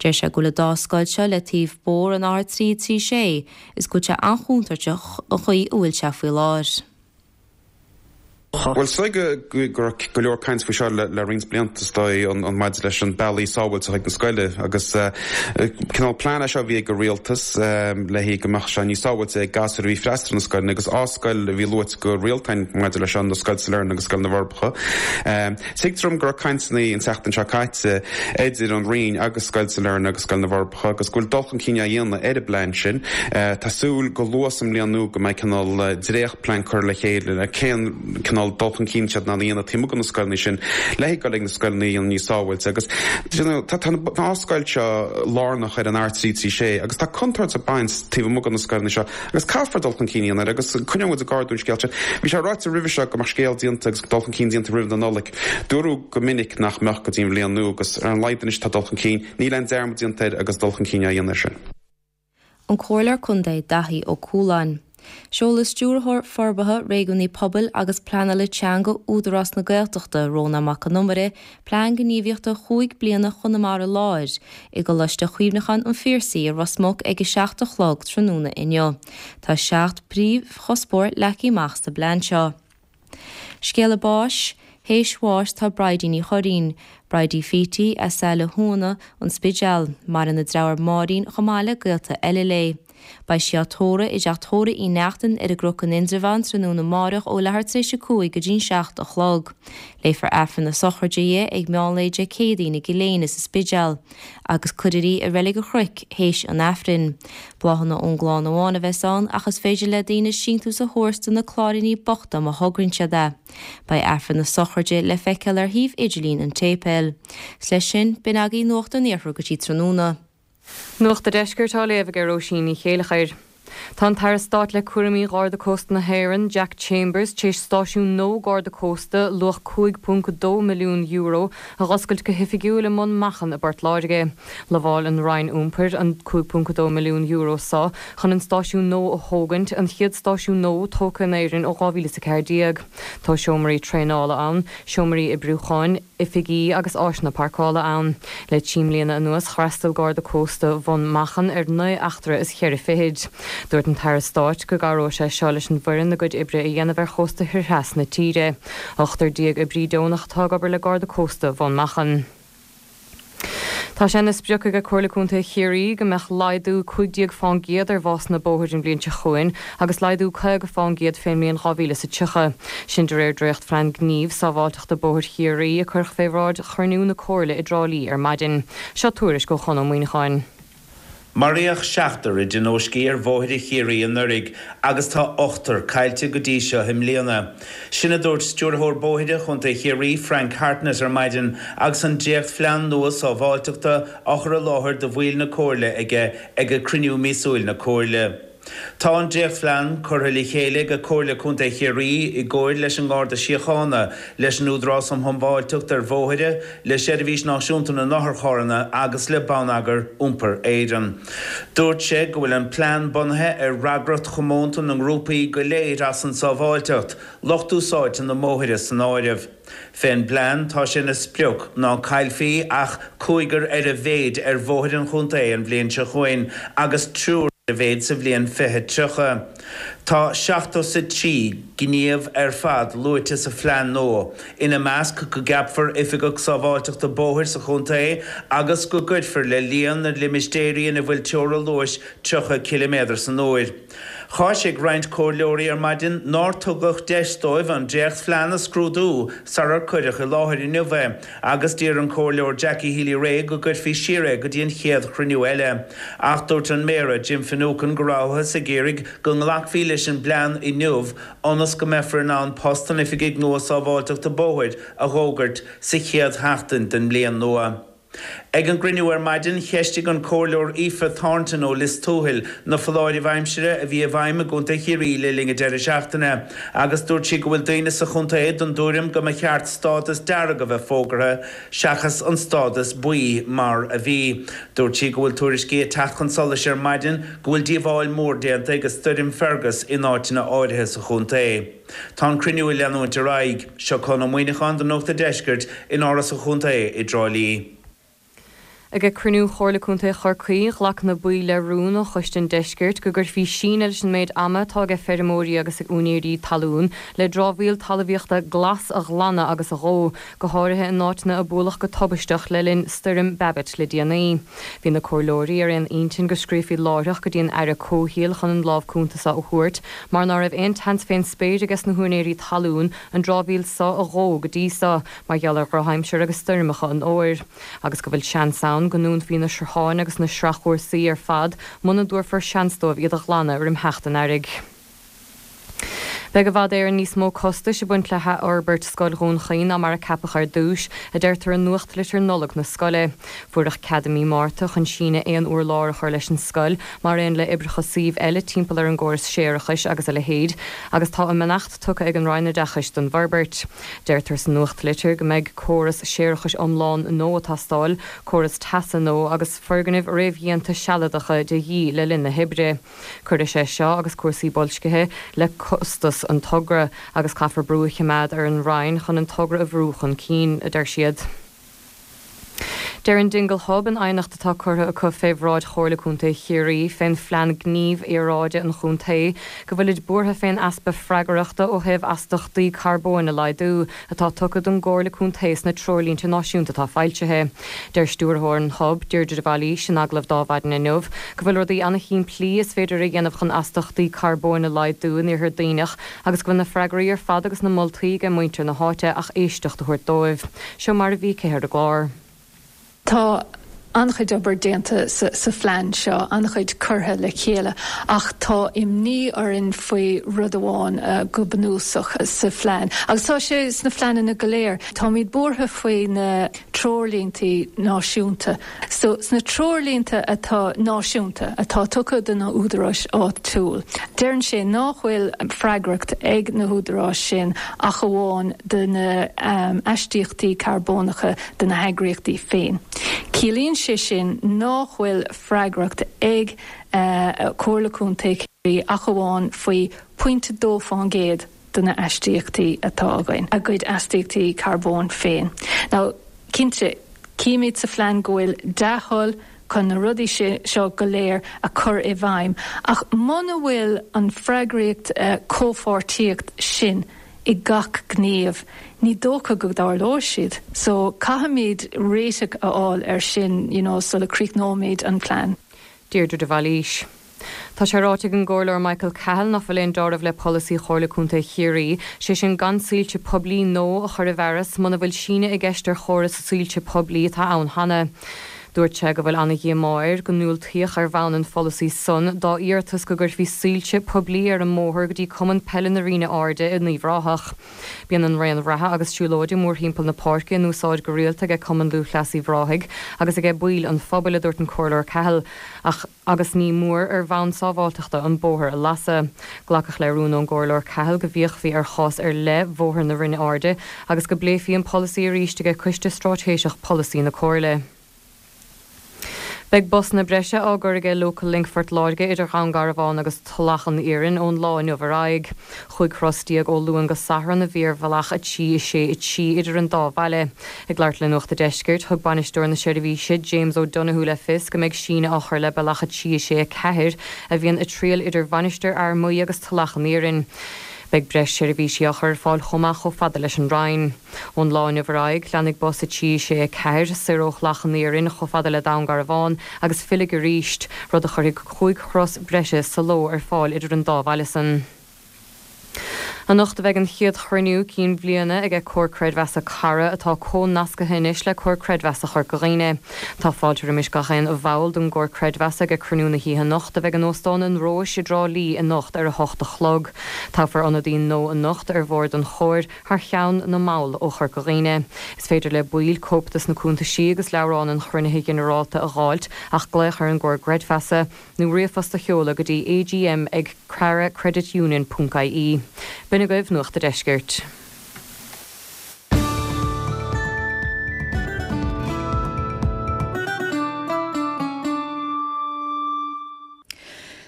Deir sé go bhfuil an dá scoil seo le taobh bóthar an R336 is go bhfuil sé an-chontúirteach an chaoi a bhfuil sé faoi láthair. Bhuel, is dóigh go raibh go leor caint faoi seo le roinnt blianta, is dóigh, an maidir leis an bealaí sábháilte chuig na scoile agus cineál plean é seo a bhí ag an rialtas le haghaidh go mbeadh sé níos sábháilte ag gasúir a bhí ag freastal ar na scoileanna agus dhá scoil a bhí luaite go rialta maidir leis seo, na Scoil Sailearna agus Scoil na bhForbacha. Tuigtear dom go raibh cainteanna an tseachtain seo caite idir an Roinn agus Scoil Sailearna agus Scoil na bhForbacha agus go bhfuil dul chun cinn á dhéanamh ar an bplean sin. Tá súil go luath sa mbliain nua go mbeidh cineál dréacht-plean curtha le chéile le cén cineál dul chun cinn siad in ann a dhéanamh taobh amuigh de na scoileanna sin le haghaidh dul ag na scoileanna a dhéanamh níos sábháilte agus tá na dhá scoil seo lárnach ar an R336 agus tá contúirt ag baint taobh amuigh de na scoileanna seo Agus caithfear dul chun cinn a dhéanamh air agus coinneoidh muid ag ardú an scéal sin. Bhí sé ráite roimhe seo go mbeadh scéal déanta agus dul chun cinn déanta roimh na Nollaig. Dúradh go minic nach mbeadh go dtí an bhliain nua agus ar a laghad anois tá dul chun cinn. Níl aon dearmad déanta air agus dul chun cinn á dhéanamh air sin. An Comhairleoir Contae Daithí Ó Cualáin. Seolfaidh Stiúrthóir Forbartha Réigiúnaí Pobail agus Pleanála Teanga Údarás na Gaeltachta, Rónán Mac Con Iomaire, Plean Gníomhaíochta chúig bliana Chonamara Láir i gColáiste Chuimhneacháin an Phiarsaigh i Ros Muc ag 7 a chlog tráthnóna inniu. Tá 7 bpríomhchuspóir leagtha amach sa bplean seo. Scéala báis, Théis bháis tá Bridie Ní Churraoin, Bridie Phítí, as Saile Thuama, An Spidéal. Maireann a deartháir Máirín chomh maith le gaolta eile léi. Beidh sí á tórramh i dteach tórraimh Uí Neachtain ar an gCnoc in Indreabhán tráthnóna amáireach ó leathuair tar éis a 5 go dtí'n 7 a chlog. Léifear Aifreann na sochraide di ag meán lae Dé Céadaoin i gCill Éinne sa Spidéal agus cuirfear í i Reilig an Chnoic théis an Aifrinn. Bláthanna ón gclann amháin a bheas ann ach is féidir le daoine síntiús a thabhairt do na Cláiríní Bochta má thograíonn siad é. Beidh Aifreann na sochraide le feiceáil ar shuíomh idirlín an tséipéil. 'S leis sin, b'in agaibh Nuacht an Iarthair go dtí tráthnóna. Nuacht a' Deiscirt á léamh ag Róisín Ní Chéileachair. Tá an tAire Stáit le cúraimí Gharda Cósta na hÉireann, Jack Chambers, tar éis stáisiún nua Garda Cósta, luach €5.2 milliún, a dh'oscailt go hoifigiúil i mBun Machan i bPort Láirge. Lamháil an Roinn Iompair an €5.2 milliún so chun an stáisiún nua a thógaint, an chéad stáisiún nua tógtha in Éirinn ó 2014. Tá seomraí traenála ann, seomraí oibriúcháin, oifigí agus áiseanna páirceála ann. Le trí mbliana anuas d'fhreastail Garda Cósta Bhun Machan ar naoi eachtra is cheithre fichid. Dúirt an tAire Stáit go gcabhróidh sé seo leis an bhfoireann a gcuid oibre a dhéanamh ar chósta thoir theas na tíre. 18 oibrí deonach atá ag obair le Garda Cósta Bhun Machan. Tá sé ina sprioc ag Comhairle Contae Chiarraí go mbeadh laghdú 15 fán gcéad ar bhásanna bóthair an bhliain seo chugainn agus laghdú 50 fán gcéad fén mbliain 2030. Sin de réir dréacht-phlean gnímh sábháilteachta bóthair Chiarraí a cuireadh fé bhráid chruinniú na Comhairle i dTrá Lí ar maidin. Seo tuairisc ó Chon Ó Muíneacháin. Maraíodh seachtar i dtionóiscí ar bhóithre Chiarraí anuraidh agus tá ochtar caillte go dtí seo i mbliana. Sin a dúirt Stiúrthóir Bóithre Chontae Chiarraí, Frank Hartnett ar maidin agus an dréachtphlean nua sábháilteachta á chur i láthair do bhaill na Comhairle aige ag cruinniú míosúil na Comhairle. Tá an dréachtphlean curtha le chéile ag Comhairle Contae Chiarraí i gcomhair leis an nGarda Síochána, leis an Údarás um Shábháilteacht ar Bhóithre, le Seirbhís Náisiúnta na nOtharcharranna agus le Bonneagar Iompair Éireann. Dúirt sé go bhfuil an plean bunaithe ar fhreagracht chomónta na ngrúpaí go léir as an tsábháilteacht, lucht úsáidte na mbóithre san áireamh. Fén bplean tá sé ina sprioc ná caillfí ach cúigear ar a mhéid ar bhóithre an chontae an bhliain seo chugainn agus triúr ar a mhéid sa bhliain 2030. Tá 73 gníomh ar fad luaite sa phlean nua, ina measc go gceapfar Oifigeach Sábháilteachta Bóthair sa chontae agus go gcuirfear le líon na limistéirí ina bhfuil teora luais 30 ciliméadar san uair. Cháisigh roinnt comhairleoirí ar maidin nár tugadh deis dóibh an dréachtphlean a scrúdú sarar cuireadh i láthair inniu é agus d'iarr an Comhairleoir Jackie Healy-Rae go gcuirfí siar é go dtí an chéad chruinniú eile. Ach dúirt an Méara, Jim Finucane go rabhthas ag iarraidh go nglacfaí leis an bplean inniu ionas go mbeifear in ann post an Oifigigh nua Sábháilteachta Bóthair a dh'fhógairt sa chéad sheachtain den mbliain nua. Ag an gcruinniú ar maidin, cheistigh an Comhairleoir Aoife Thornton ó Lios Tuathail na foláirimh aimsire a bhí i bhfeidhm i gContae Chiarraí le linn an deireadh seachtaine agus dúirt sí go bhfuil daoine sa chontae den dtuairim go mba cheart stádas dearg a bheith fógartha seachas an stádas buí mar a bhí. Dúirt sí go bhfuil tuairiscí ag teacht chun solais ar maidin go bhfuil díobháil mhór déanta ag stoirm Fergus in áiteanna áirithe sa chontae. Tá an cruinniú ag leanúint ar aghaidh. Seo Conn Ó Muíneacháin do Nuacht an Deiscirt in Áras an Chontae i dTrá Lí. Ag cruinniú Chomhairle Contae Chorcaí, ghlac na baill le rún ó Choiste an Deiscirt go gcuirfí síneadh leis an méid ama atá aige feirmeoirí agus ag úinéirí talún le dramhaíl talmhaíochta glas a ghlanadh agus a dhó, go háirithe in áiteanna a bualadh go tubaisteach le linn Stoirm Babet le déanaí. Bhí na comhairleoirí ar aon intinn go scríofaí láithreach go dtí an Aire Comhshaoil chun an lámh cúnta so a thabhairt mar ná raibh aon tseans fén spéir ages na húinéirí talún an dramhaíl so a dhó go dtí so mar gheall ar dhrochaimsir agus stoirmeacha an fhómhair, agus go bhfuil seans ann go ndúnfaí na srutháin agus na sreachúrsaí ar fad muna dtabharfar seans dóibh iad a ghlanadh roim theacht an earraigh. Beidh i bhfad Éireann níos mó costais ag baint le hathfhorbairt Scoil Dhún Chaoin ná mar a ceapadh ar dtús, a deirtear i nuachtlitir Nollag na scoile. Fuaireadh cead i mí Márta chun síneadh aon urlár a chur leis an scoil, mar aon le oibreacha suímh eile timpeall ar an gcóras séarachais agus a leithéid, agus tá a mbeannacht tugtha ag an Roinn Oideachais don bhforbairt. Deirtear sa nuachtlitir go mbeidh córas séarachais iomlán nua ag teastáil, córas teasa nua agus foirgnimh réamhdhéanta sealadacha de dhíth le linn na hoibre. Cuirfidh sé seo agus cúrsaí boilscithe le costas an togra agus caithfear brú a choimeád ar an Roinn chun an togra a bhrú chun cinn, a deir siad. Deir an Dingle Hub in aighneacht atá curtha acu fé bhráid Chomhairle Contae Chiarraí fén Phlean Gnímh Aeráide an Chontae go bhfuilid buartha fén easpa freagrachta ó thaobh astachtaí carbóin a laghdú atá tugtha don gComhairle Contae sna treoirlínte náisiúnta atá foilsithe. Deir Stiúrthóir an Hub, Deirdre de Bhailís, in agallamh d'Adhmhaidin inniu, go bhfuil rudaí ana-shimplí is féidir a dhéanamh chun astachtaí carbóin a laghdú in Iarthar Duibhneach agus go bhfuil na freagraí ar fad agus na moltaí aige muintir na háite ach éisteacht a thabhairt dóibh. Seo mar a bhí aici ar an gclár. Tá an-chuid obair déanta sa phlean seo, an-chuid curtha le chéile, ach tá imní orainn faoi rud amháin go bunúsach sa phlean, agus tá sé sna phleananna go léir, táimid buartha faoi na treoirlínte náisiúnta. So, sna treoirlínte atá náisiúnta atá tugtha do na húdaráis áitiúil, deireann sé nach bhfuil freagracht ag na húdaráis sin ach amháin do na aistíochtaí carbónacha do na heagraíochtaí féin. Ciallaíonn sé sin nach bhfuil freagracht ag Comhairle Contae Chiarraí ach amháin faoi 0.2% de na aistíochtaí atá againn, a gcuid astaíochtaí carbóin féin. Now, cinnte, címid sa phlean go bhfuil dea-thoil chun na rudaí seo go léir a chur i bhfeidhm, ach muna bhfuil an freagraíocht comhpháirtíocht sin i gach gníomh, ní dócha go dtarlóidh siad. So caithfimid réiteach a fháil air sin you know sula críochnóimid an plean. Deirdre de Bhailís. Tá sé ráite ag an gComhairleoir Michael Cahill nach bhfuil aon deáramh le polasaí Chomhairle Contae Chiarraí, sé sin gan soilse poiblí nua a chur i bhfearas muna bhfuil síneadh i gceist ar chóras soilse poiblí atá ann cheana. Dúirt sé go bhfuil ana-dhíomá air go ndiúltaíodh ar bhonn an pholasaí san dá iarratas go gcuirfí soilse poiblí ar an mbóthar go dtí Cumann Peile na Rinne Airde in Uíbh Ráthach. Bíonn an raon reatha agus siúlóide mórthimpeall na páirce in úsáid go rialta aige Cumann Lúthchleas Uíbh Ráthaigh agus aige baill an phobail, a dúirt an Comhairleoir Cahill, ach agus ní mór ar bhonn sábháilteachta an bóthar a lasadh. Glacadh le rún ón gComhairleoir Cahill go bhféachfaí ar chás ar leith Bhóthar na Rinne Airde agus go bpléifí an polasaí arís aige Coiste Straitéiseach Polasaí na Comhairle. Beidh busanna breise á gcur aige Local Link Phort Láirge idir Dhún Garbhán agus Tulach an Iarainn ón lá inniu ar aghaidh. 15 thuras ó Luan go Satharn a bhí ar bhealach 3, 6, 3 idir an dá bhaile. Ag labhairt le Nuacht a' Deiscirt, thug bainisteoir na seirbhíse, James O'Donoghue le fios go mbeidh síneadh á chur le bealach 3, 6, 4 a bhíonn ag triall idir Mhainistir Fhear Maí agus Tulach an Iarainn. Beidh breis seirbhísí á chur ar fáil chomh maith chomh fada leis an Rinn. Ón lá inniu ar aghaidh, leanfaidh bus 3, 6, 4 soir ó Thulach an Iarainn chomh fada le Dún Garbhán agus fillfidh arís, rud a chuirfidh 5 thuras breise sa ló ar fáil idir an dá bhaile san. Anocht a bheidh an chéad chruinniú cinn bhliana aige Comhar Creidmheasa Cara, atá comhnascaithe anois le Comhar Creidmheasa Chorca Dhuibhne. Tá fáilte roimis gach aon bhall don gComhar Creidmheasa aige cruinniú na hoíche anocht a bheidh in Óstán an Róis i dTrá Lí anocht ar a hocht a chlog. Toghfar ionadaí nua anocht ar bhord an Chomhair thar cheann na mball ó Chorca Dhuibhne. Is féidir le baill cóip dos na cuntaisí agus leabhrán an chruinnithe ghinearálta a dh'fháilt ach glaoch ar an gComhar gCreidmheasa nó ríomhphost a sheoladh go dtí agm ag caracreditunion ponc ie. B'in agaibh Nuacht a' Deiscirt.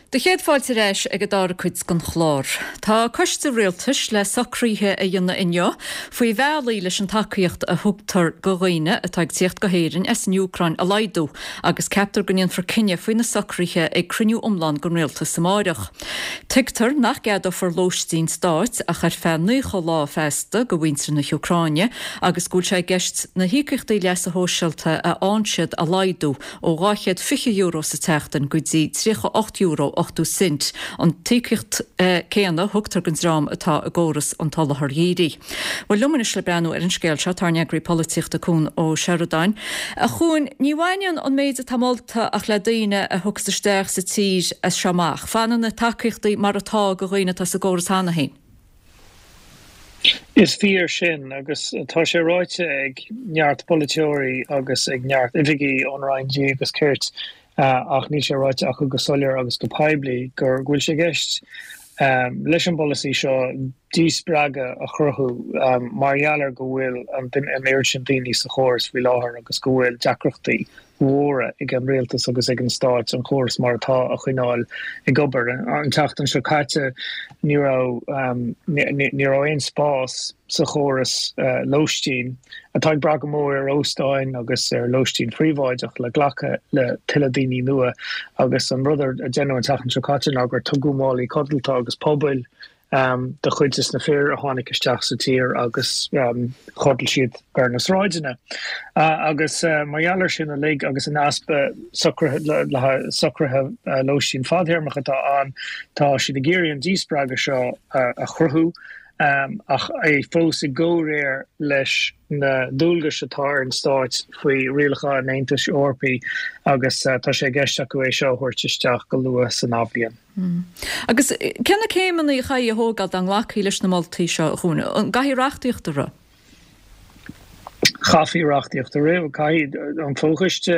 Do chéad fáilte ar ais ag an dara cuid den chlár. Tá coiste rialtais le socruithe a dhéanamh inniu faoi bhealaí leis an tacaíocht a thugtar do dhaoine atá ag tíocht go hÉirinn as an Úcráin a laghdú agus ceaptar go ndéanfar cinneadh faoi na socruithe ag cruinniú iomlán den rialtas amáireach. Tuigtear nach gceadófar lóistín stáit ach ar feadh 90 lá feasta do mhuintir na hÚcráine agus go bhfuil sé i gceist na híocaíochtaí leasa shóisialta a fhaigheann siad a laghdú ó €220 sa tseachtain go dtí €38 80 cent, an t-íocaíocht céanna a thugtar don dream atá i gcóras an tSoláthair Dhírigh. Bhuel, liom anois le breathnú ar an scéal seo tá ár n-eagraí polaitíochta Cuan Ó Seireadáin. A Chuain, ní bhaineann an méid atá molta ach le daoine a thiocfas isteach sa tír as seo amach. Fanann na tacaíochtaí mar atá do dhaoine atá sa gcóras cheana féin. Is fíor sin, agus tá sé ráite ag neart polaiteoirí agus ag neart oifigigh ón Roinn Dlí agus Cirt, ach níl sé ráite acu go soiléir agus go poiblí, go bhfuil sé i gceist leis an bpolasaí seo díspreagadh a chruthú mar gheall ar go bhfuil an oiread sin daoine sa chóras faoi láthair agus go bhfuil deacrachtaí mhóra ag an rialtas agus ag an stáit an córas mar atá a choinneáil ag obair. An tseachtain seo caite ní raibh ní raibh aon spás sa chóras lóistín, atá ag brath go mór ar óstáin agus ar lóistín phríobháideach le glacadh le tuilleadh daoine nua agus an rud a deineadh an tseachtain seo caite ná gur tugadh málaí codlata agus pubaill do chuid des na fir a tháinig isteach sa tír agus chodail siad ar na sráideanna. Agus mar gheall ar sin uilig agus an easpa socruithe le haghaidh socruithe lóistín fadthéarmach atá ann, tá siad ag iarraidh an díspreagadh seo a chruthú ach é fós i gcomhréir leis na dualgais atá ar an stáit faoi rialacha an Aontais Eorpaigh agus tá sé i gceist acu é seo a thabhairt isteach go luath san athbhliain. Agus cé na céimeanna a chaithfí a thógáil dá nglacfaí leis na moltaí seo, a Chuain? An gcaithfí reachtaíocht a rith? Chaithfí reachtaíocht a rith. Caithfidh an fóchoiste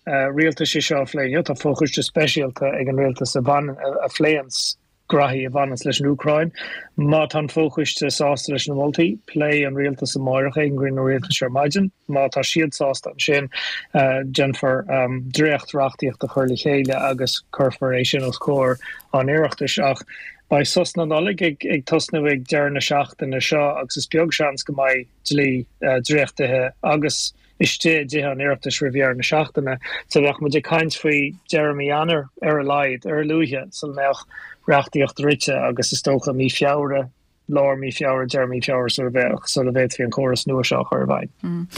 rialtais é seo a phlé inniu. Tá fochoiste speisialta ag an rialtas a bhaineann, a phléanns graithí a bhaineanns leis an Úcráin. Má tá an fochoiste sásta leis na moltaí, pléifidh an rialtas amáireach é ag an gcruinniú rialtais ar maidin. Má tá siad sásta ansin, déanfar dréacht-reachtaíocht a chur le chéile agus cuirfear é sin os comhair an Oireachtais. Ach beidh sos na Nollag ag tosnú ag deireadh na seachtaine seo agus is beag seans go mbeidh dlí dréachtaithe agus istigh i dTithe an Oireachtais roimh dheireadh na seachtaine. So bheadh muid ag caint faoi deireadh mí Eanáir ar a laghad, ar a luaithe, sula mbeadh reachtaíocht rite agus is dócha mí Feabhra, lár mí Feabhra, deireadh mí Feabhra sula bheadh, sula bhféadfaí an córas nua seo a chur i bhfeidhm.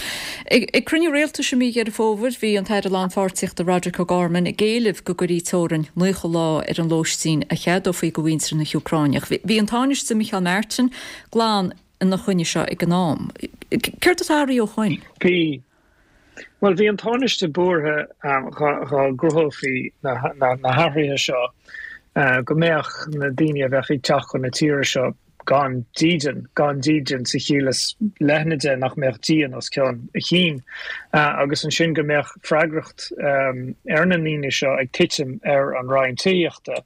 Ag cruinniú rialtais i mí Dheireadh Fómhair, bhí an tAire Lánpháirtíochta Roderic O'Gorman ag éileamh go gcuirí teorainn 90 lá ar an lóistín a cheadófaí do mhuintir na hÚcráine. Bhí an Tánaiste Micheál Martin glan ina choinne seo ag an am. Céard atá athraithe ó shoin? Bhí. Bhuel, bhí an Tánaiste buartha dhá gcruthófaí na hathruithe seo go mbeadh na daoine a bheadh ag teacht chun na tíre seo gan dídean, gan dídean sa chiall is leithne de, nach mbeadh díon os cionn a chinn, agus ansin go mbeadh freagracht ar na ndaoine seo ag titim ar an Roinn Tithíochta.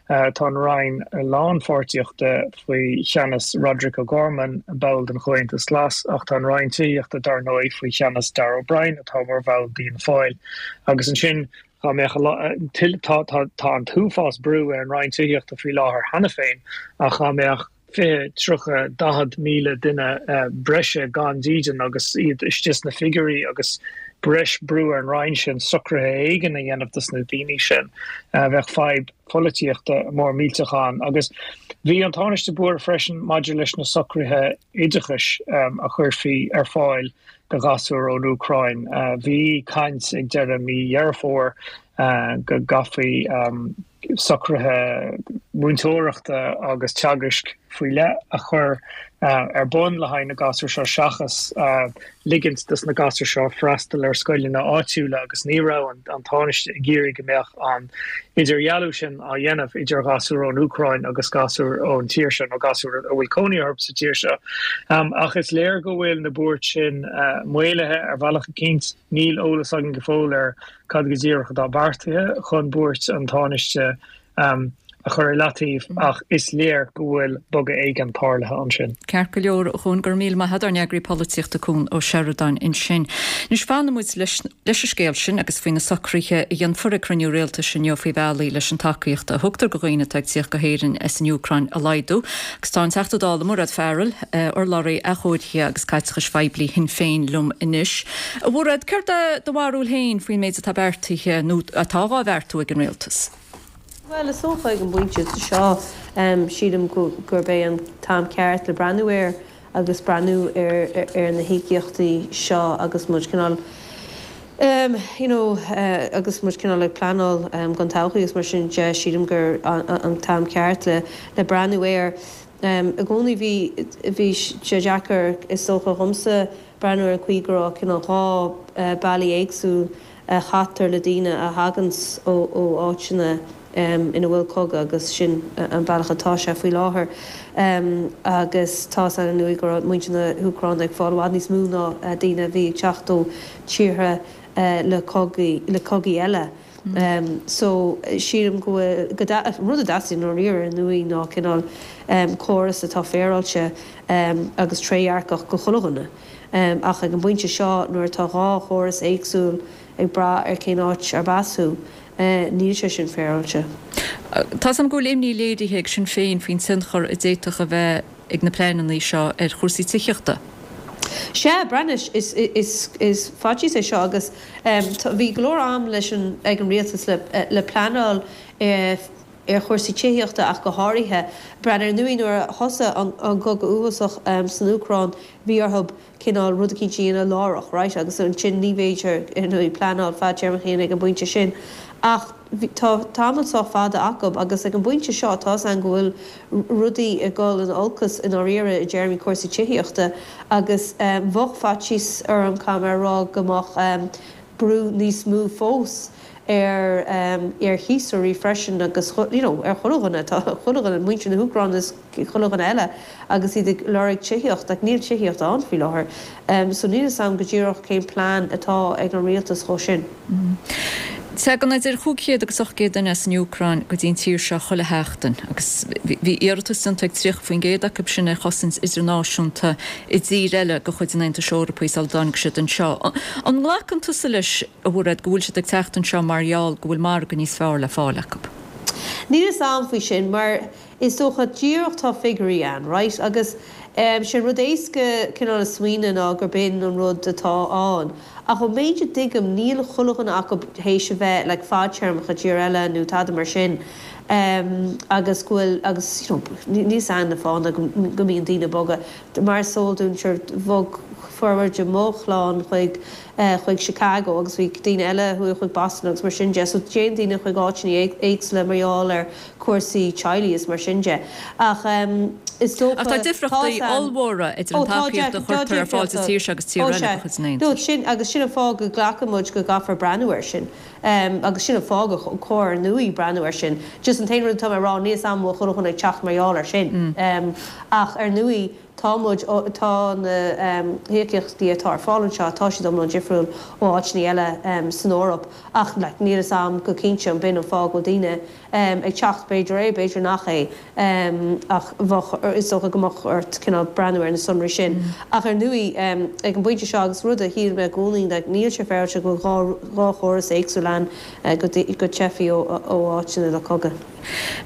Tá an Roinn Lánpháirtíochta faoi cheannas Roderic O'Gorman, ball den Chomhaontas Glas, ach tá an Roinn Tithíochta, dar ndóigh, faoi cheannas Darragh O'Brien, atá mar bhall d'Fhianna Fáil. Agus ansin, dhá mbeadh tá tá an t-uafás brú ar an Roinn Tithíochta faoi láthair cheana féin, ach dhá mbeadh 20, 30, 40,000 duine breise gan dídean agus iad istigh sna figiúirí agus breis brú ar an Roinn sin socruithe éigin a dhéanamh dos na daoine sin, bheadh fadhb pholaitíochta mór millteach ann. Agus bhí an Tánaiste buartha freisin maidir leis na socruithe oideachais a chuirfí ar fáil do ghasúir ón Úcráin. Bhí caint ag deireadh mí Dheireadh Fómhair go gcaithfí socruithe múinteoireachta agus teagaisc faoi leith a chur ar bun le haghaidh na gasúr seo seachas ligint dos na gasúir seo freastal ar scoileanna áitiúla agus ní raibh an Tánaiste ag iarraidh go mbeadh an idirdhealú sin á dhéanamh idir ghasúir ón Úcráin agus gasúir ón tír seo nó gasúir a bhfuil cónaí orthu sa tír seo. Ach is léir go bhfuil na buairt sin maolaithe ar bhealach eicínt. Níl eolas againn go fóill ar cad go díreach atá beartaithe chun buairt an Tánaiste a chur i leataobh ach is léir go bhfuil bogadh éigin tarlaithe ansin. Ceart go leor, a Chuan, go raibh míle maith agat, ár n-eagraí polaitíochta Cuan Ó Seireadáin ansin. Anois fanfaidh muid leis leis an scéal sin agus faoi na socruithe a dhéanfar ag cruinniú rialtais inniu faoi bhealaí leis an tacaíocht a thugtar do dhaoine atá ag tíocht go hÉirinn as an Úcráin a laghdú. Agus tá an Teachta Dála Mairéad Farrell, urlabhraí athchóirithe agus caiteachais phoiblí Shinn Féin liom anois. A Mhairéad, céard é do bharúil féin faoin méid atá beartaithe nó atá dhá bheartú ag an Rialtas? Bhuel, is dócha ag an bpointe seo, sílim gurb é an t-am ceart le breathnú air agus breathnú ar na híocaíochtaí seo agus muid cineál, you know, agus muid cineál ag pleanáil don todhchaí agus mar sin de, sílim gur an t-am ceart le breathnú air. I gcónaí bhí, bhí sé deacair is dócha dhomsa breathnú ar an chaoi go raibh cineál 2 bealaí éagsúil a chaitear le daoine a thaganns ó áiteanna ina bhfuil cogadh agus sin an bealach atá sé faoi láthair agus tá 's againn ar ndóigh go raibh muintir na hÚcráine ag fáil i bhfad níos mó ná daoine a bhí ag teacht ó tíortha le cogaí le cogaí eile. So sílim go bhfuil go rud a dteastaíonn i ndáiríre ar ndóigh ná cineál córas atá féaráilte agus trédhearcach go chuile dhuine. Ach ag an bpointe seo, nuair atá 2 chóras éagsúil ag brath ar cén áit arb as thú, níl sé sin féaráilte. Tá 's agam go bhfuil imní léirithe ag Sinn Féin faoin tionchar a d'fhéadfadh a bheith ag na pleananna seo ar chúrsaí tithíochta. Sea, breathnaigh, is faitíos é seo agus bhí go leor am leis an ag an rialtas le pleanáil ar chúrsaí tithíochta ach go háirithe. Breathnaigh, ar ndóigh nuair a thosaigh an cogadh uafásach san Úcráin bhí orthu cineál rud eicínt a dhéanamh láithreach, right, agus ansin ní bhféidir, ar ndóigh, pleanáil fadtéarmach a dhéanamh ag an bpointe sin. Ach tá tamall sách fada acu agus ag an bpointe seo tá's againn go bhfuil rudaí ag dul in olcas i ndáiríre i dtéarmaí cúrsaí tithíochta agus bheadh faitíos orm, caithfidh mé a rá, go mbeadh brú níos mó fós ar ar chíosóirí freisin agus you know ar chuile dhuine, tá chuile dhuine, muintir na hÚcráine is chuile dhuine eile agus iad ag lorg tithíocht ach níl tithíocht ann faoi láthair so níl 'fhios a'm go díreach cén plean atá ag an rialtas dhó sin. Tagann idir 500 agus 800 duine as an Úcráin go dtí an tír seo chuile sheachtain agus bhí iarratas déanta ag 30% acu sin ar chosaint idirnáisiúnta i dtír eile de chuid an Aontais Eorpaigh sula dtáinig siad anseo. An nglacann tusa leis, a Mhairéad, go bhfuil siad ag teacht anseo mar gheall go bhfuil margadh níos fearr le fáil acu? Níl 'fhios a'm faoi sin mar is dócha díreach tá figiúirí ann, right, agus sé an rud éasca cineál a smaoineamh ná gurb in an rud atá ann ach ón méid a dtuigim níl chuile dhuine acu théis a bheith like fadtéarmach i dtír eile nó tada mar sin agus go bhfuil agus you know níl 'fhios a'm na fáthanna go mbíonn daoine ag bogadh. Mar is eol dúinn sure bhog formhór de mo chlann chuig chuig Chicago agus bhí daoine eile a chuaigh chuig Boston agus mar sin de. So téann daoine chuig áiteanna éagsúla mar gheall ar chúrsaí teaghlaigh is mar sin de. Ach. Is dócha, Ach tá difríochtaí ollmhóra idir an tacaíocht a chuirtear ar fáil sa tír seo agus tír eile de chuid an Aontais. Sin, agus sin an fáth go nglacann muid go gcaithfear breathnú air sin. Agus sin an fáth gur chóir ar ndóigh breathnú air sin. Just an t-aon rud atá mé a rá, níl 'fhios a'm an bhfuil chuile dhuine ag teacht mar gheall air sin. Ach ar ndóigh, tá muid, tá na híocaíochtaí atá ar fáil anseo, tá siad iomlán difriúil ó áiteanna eile san Eoraip. Ach like, níl 'fhios a'm go cinnte an b'in an fáth go bhfuil daoine ag teacht, b'fhéidir é, b'fhéidir nach é, ach bheadh, is dócha go mbeadh ort cineál breathnú ar na sonraí sin. Ach ar ndóigh, ag an bpointe seo, agus rud a shíl mé i gcónaí, like, níl sé féaráilte go bhfuil 2 chóras éagsúil ann go dteifigh ó áiteanna le cogadh.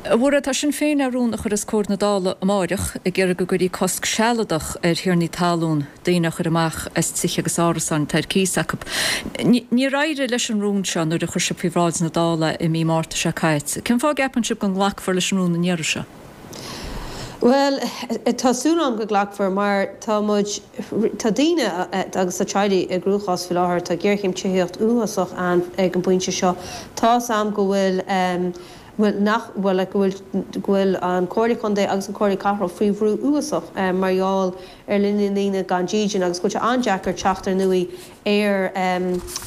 A Mhairéad, tá Sinn Féin le rún a chur os comhair na Dála amáireach ag iarraidh go gcuirfí cosc sealadach ar thiarnaí talún daoine a chur amach as tithe agus árasáin atá ar cíos acu. Níor éirigh leis an rún seo nuair a chuir sibh faoi bhráid na Dála i mí Márta seo caite. Cén fáth a gceapann sibh go nglacfar leis an rún an iarraidh seo? Bhuel, tá súil agam go nglacfar mar tá muid, tá daoine agus tá teaghlaigh i gcruachás faoi láthair, tá géarchéim tithíocht uafásach ann ag an bpointe seo. Tá's a'm go bhfuil, bhfuil, nach, bhuel, like, go bhfuil, go bhfuil an Comhairle Contae agus an Comhairle Cathrach faoi bhrú uafásach mar gheall ar líon na ndaoine gan dídean agus go bhfuil sé an-deacair teacht ar ndóigh ar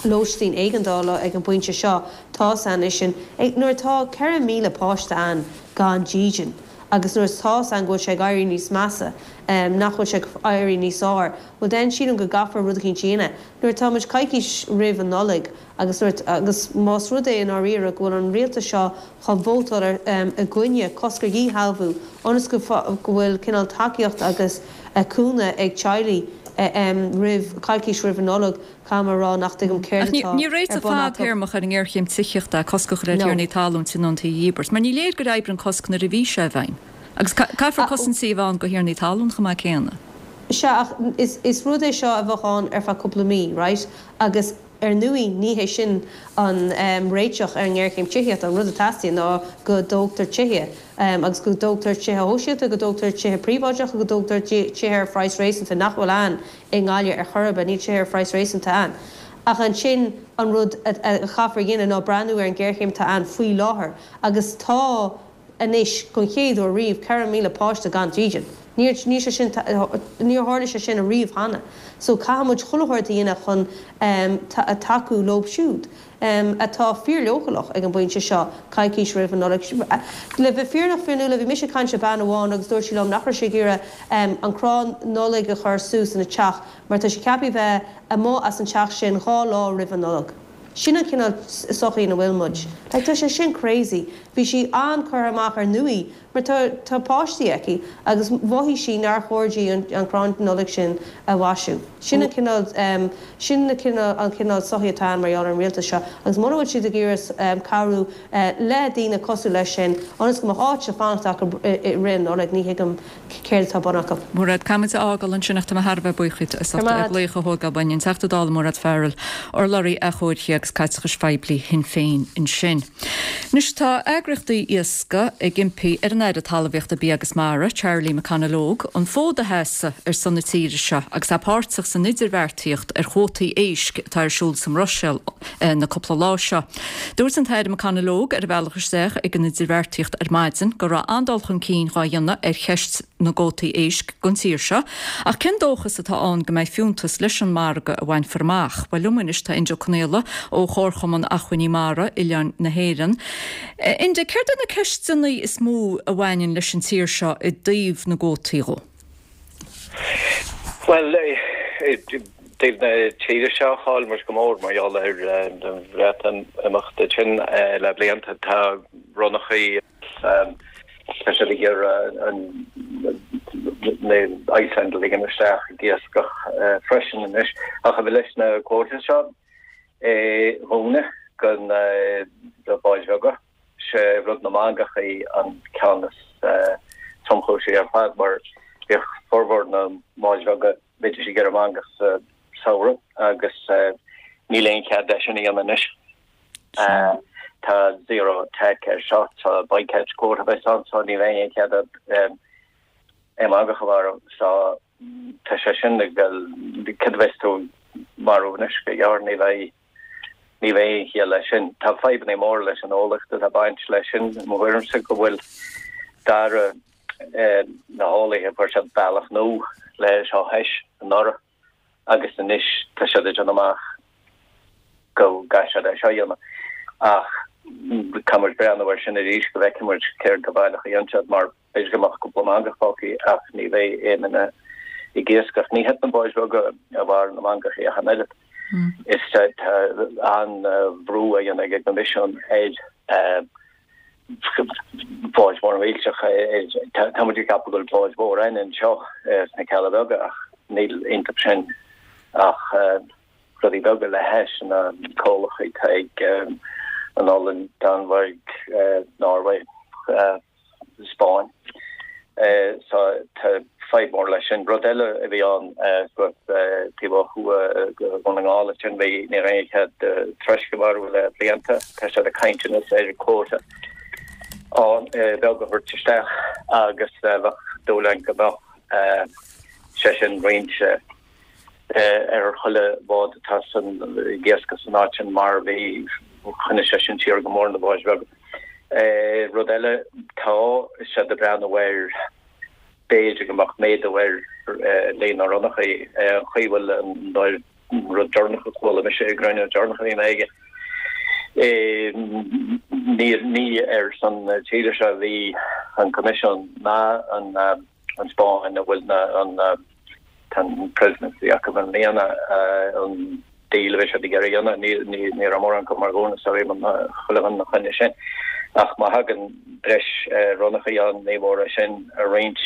lóistín éigeandála ag an bpointe seo. Tá's a'inn sin nuair atá 4,000 páiste ann gan dídean agus nuair atá's a'inn go bhfuil sé ag éirí níos measa, nach bhfuil sé ag éirí níos fearr, bhuel then sílim go gcaithfear rud eicínt a dhéanamh. Nuair atá muid coicís roimh an Nollaig Agus nuair, agus más rud é i ndáiríre go bhfuil an rialtas seo chun vótáil ar, i gcoinne cosc ar dhíshealbhú ionas go, go bhfuil cineál tacaíocht agus cúnamh ag teaghlaigh roimh, coicís roimh an Nollaig, caithfidh mé a rá nach dtuigim céard atá ar Ní réiteach bun acu. fadtéarmach ar an ngéarchéim tithíochta é cosc a chur ar No. thiarnaí talún tionóntaí a dhíbirt, mar ní léir gur oibrigh an cosc nuair a bhí sé i bhfeidhm. Agus caithfear cosaintí a bheith ann do thiarnaí talún chomh maith céanna. Sea, ach is, is rud é seo a bheadh ann ar feadh cúpla mí, right? Agus ar ndóigh ní hé sin an réiteach ar an ngéarchéim tithíochta, an rud a teastaíonn ná go dtógtar tithe, agus go dtógtar tithe shóisialta, go dtógtar tithe príobháideacha, go dtógtar tithe ar phraghas réasúnta, nach bhfuil ann i nGaillimh ar chor ar bith, níl tithe ar phraghas réasúnta ann. Ach ansin an rud a chaithfear a dhéanamh ná breathnú ar an ghéarchéim atá ann faoi láthair agus tá, anois, don chéad uair riamh, 4,000 páiste gan dídean. Níor, níl sé sin, níor tharla sé sin ariamh cheana. So caithfidh muid chuile shórt a dhéanamh chun tacú leob siúd atá fíorleochaileach ag an bpointe seo, coicís roimh an Nollaig. Le bheith fírinneach, Fionnuala, bhí mise ag caint le bean amháin agus dúirt sí liom nach raibh sí ag iarraidh an crann Nollag a chur suas ina teach mar tá sí ceaptha bheith amuigh as an teach sin 2 lá roimh an Nollaig. Sin an cineál sochaí ina bhfuil muid. Like, tá sé sin crazy. Bhí sí an-curtha amach ar ndóigh mar tá tá páistí aici agus mhothaigh sí nár chóir di an an crann Nollag sin a mhaisiú. Sin an cineál em sin na cineál an cineál sochaí atá ann mar gheall ar an rialtas seo agus muna bhfuil siad ag iarraidh em cabhrú eh le daoine cosúil leis sin ionas go mbeadh áit le fanacht acu i rith an Nollaig ní thuigim céard atá ar bun acu. Mairéad, caithfimid a fhágáil ansin ach tá mé thar a bheith buíoch díot as ucht an glaoch a thógáil uainn, an Teachta Dála Mairéad Farrell, urlabhraí achomhairc agus caiteachais phoiblí Shinn Féin ansin. Anois tá eagraíochtaí iascaigh ag impí ar an Aire Talmhaíochta, Bia agus Mara, Charlie McConalogue, an fód a sheasamh ar son na tíre seo agus é páirteach san idirbheartaíocht ar chuótaí éisc atá ar siúl sa mBruiséil na cúpla lá seo. Dúirt an tAire McConalogue ar a bhealach isteach ag an idirbheartaíocht ar maidin go raibh an-dul chun cinn dhá dhéanamh ar cheist na gcuótaí éisc don tír seo, ach cén dóchas atá ann go mbeidh fiúntas leis an margadh a bhainfear amach? Bhuel, liom anois tá Enda Ó Conaola ó Chomharchumann Acmhainní Mara Oileáin na hÉireann. Enda, céard iad na ceisteanna is mó a bhaineann leis an tír seo i dtaobh na gcuótaí dhó? Bhuel, i dtaobh na tíre seo, chaill muid go mór mar gheall ar an Bhreatimeacht sin le blianta. Tá ronnachaí, tá siad ag iarraidh an Iceland a ligean isteach ag iascach freisin anois. Ach leis na cuótaí seo dúinne do na báid bheaga, Sé rud na mangachaí an ceann is tromchúisí ar fad mar bhíodh formhór na mbáid bheaga, bhídís ag iarraidh mangach sa samhradh agus níl aon chead leis sin a dhéanamh anois. Tá zero take air seo, tá bycatch quota a bheas ann so ní bheidh aon chead aon mhangach a mharú so tá sé sin ag dul, cad a bheas tú ag marú anois go gearr, ní bheidh. Ní bheidh aon chiall leis sin. Tá fadhbanna móra leis an eolaíocht atá ag baint leis sin, i mo thuairimse, go bhfuil dara. na heolaithe, fuair siad bealach nua le seo thais anuraidh agus anois tá siad ag déanamh amach go gcaithfidh siad é seo a dhéanamh. Ach caithfidh muid breathnú air sin arís go bhfeicfidh muid céard go baileach a dhéanann siad mar b'fhéidir go mbeadh cúpla mangach fágtha ach ní bheidh aon duine ag iascach. Ní hiad na báid bheaga a mharaíonn na mangachaí ach an oiread. Is tá an-bhrú á dhéanamh ag an gCoimisiún ar bháid mhóra mhillteacha. Tá muid ag ceapadh go bhfuil báid mhór ann anseo sna Cealla Beaga ach níl iontu sin ach rudaí beaga le hais na comhlachtaí atá ag an Ollainn, Danmhairg, Norway. Spáinn. So tá fadhb mhór leis sin. Rud eile a bhí ann suas taobh ó thuaidh de Dhún na nGall ansin, bhí, ní raibh aon chead troisc a mharú le blianta. Tá siad ag caint anois ar quota beag a thabhairt isteach agus bheadh dúil ann go mbeadh sé sin roinnte ar chuile bhád atá san ag iascach san áit sin mar bhí choinnigh sé sin siar go mór na báid bheaga. Rud eile tá siad ag breathnú ar b'fhéidir go mbeadh méadú ar líon na ronnachaí an chaoi bhfuil an rud deireanach a chuala mise i gcruinniú deireanach a bhí mé aige ní ní ar son na tíre seo a bhí an Coimisiún ná an an Spáinn a bhfuil na an Tá an presidency acu i mbliana, an deal a bhí siad ag iarraidh a dhéanamh, ní raibh mórán acu mar dhúna so bhí chuile dhuine ina choinne sin. Ach má thagann breis ronnachaí ann, ní mór é sin a roinnt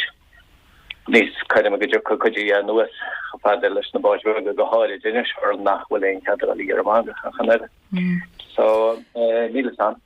níos cothroime go dtiocfaidh cuid de anuas chomh fada leis na báid bheaga, go háirid anois mar nach bhfuil aon chead a dhul ag iarraidh mangach ach an oiread. So, níl fhios a'm.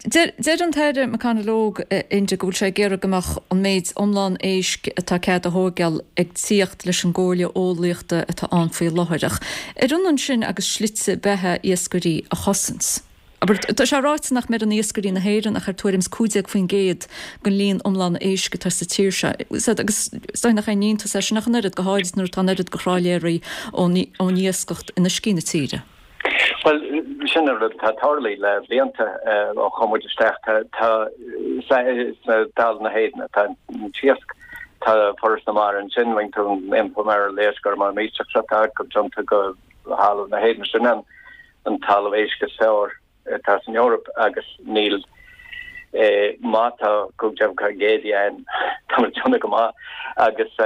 Deir an tAire McConalogue, Enda, go bhfuil sé ag iarraidh go mbeadh an méid iomlán éisc atá cead a thóigeáil ag tíocht leis an gcomhairle eolaíochta atá ann faoi láthair. Ach ar ionann sin agus slite beatha iascairí a chosaint? Abair, tá sé ráite nach mbeireann iascairí na hÉireann ach ar tuairim is 15% den líon iomlán éisc atá sa tír seo. Agus is dóigh nach aon iontas é sin ach an oiread, go háirid nuair atá an oiread de thrálaeirí ón iascacht in uiscí na tíre. Bhuel, sin an rud atá tarlaithe le blianta ó chuaigh muid isteach. Tá, tá, sna talamh na hÉireann atá an t-iasc. Tá Foras na Mara ansin, rinne tú an iompar mara léasc ar mar millteach seo atá acu déanta go thalamh na hÉireann. Sin an an talamh éisc is fearr atá san Eoraip agus níl má tá 15% de ann, tá muid déanamh go maith agus tá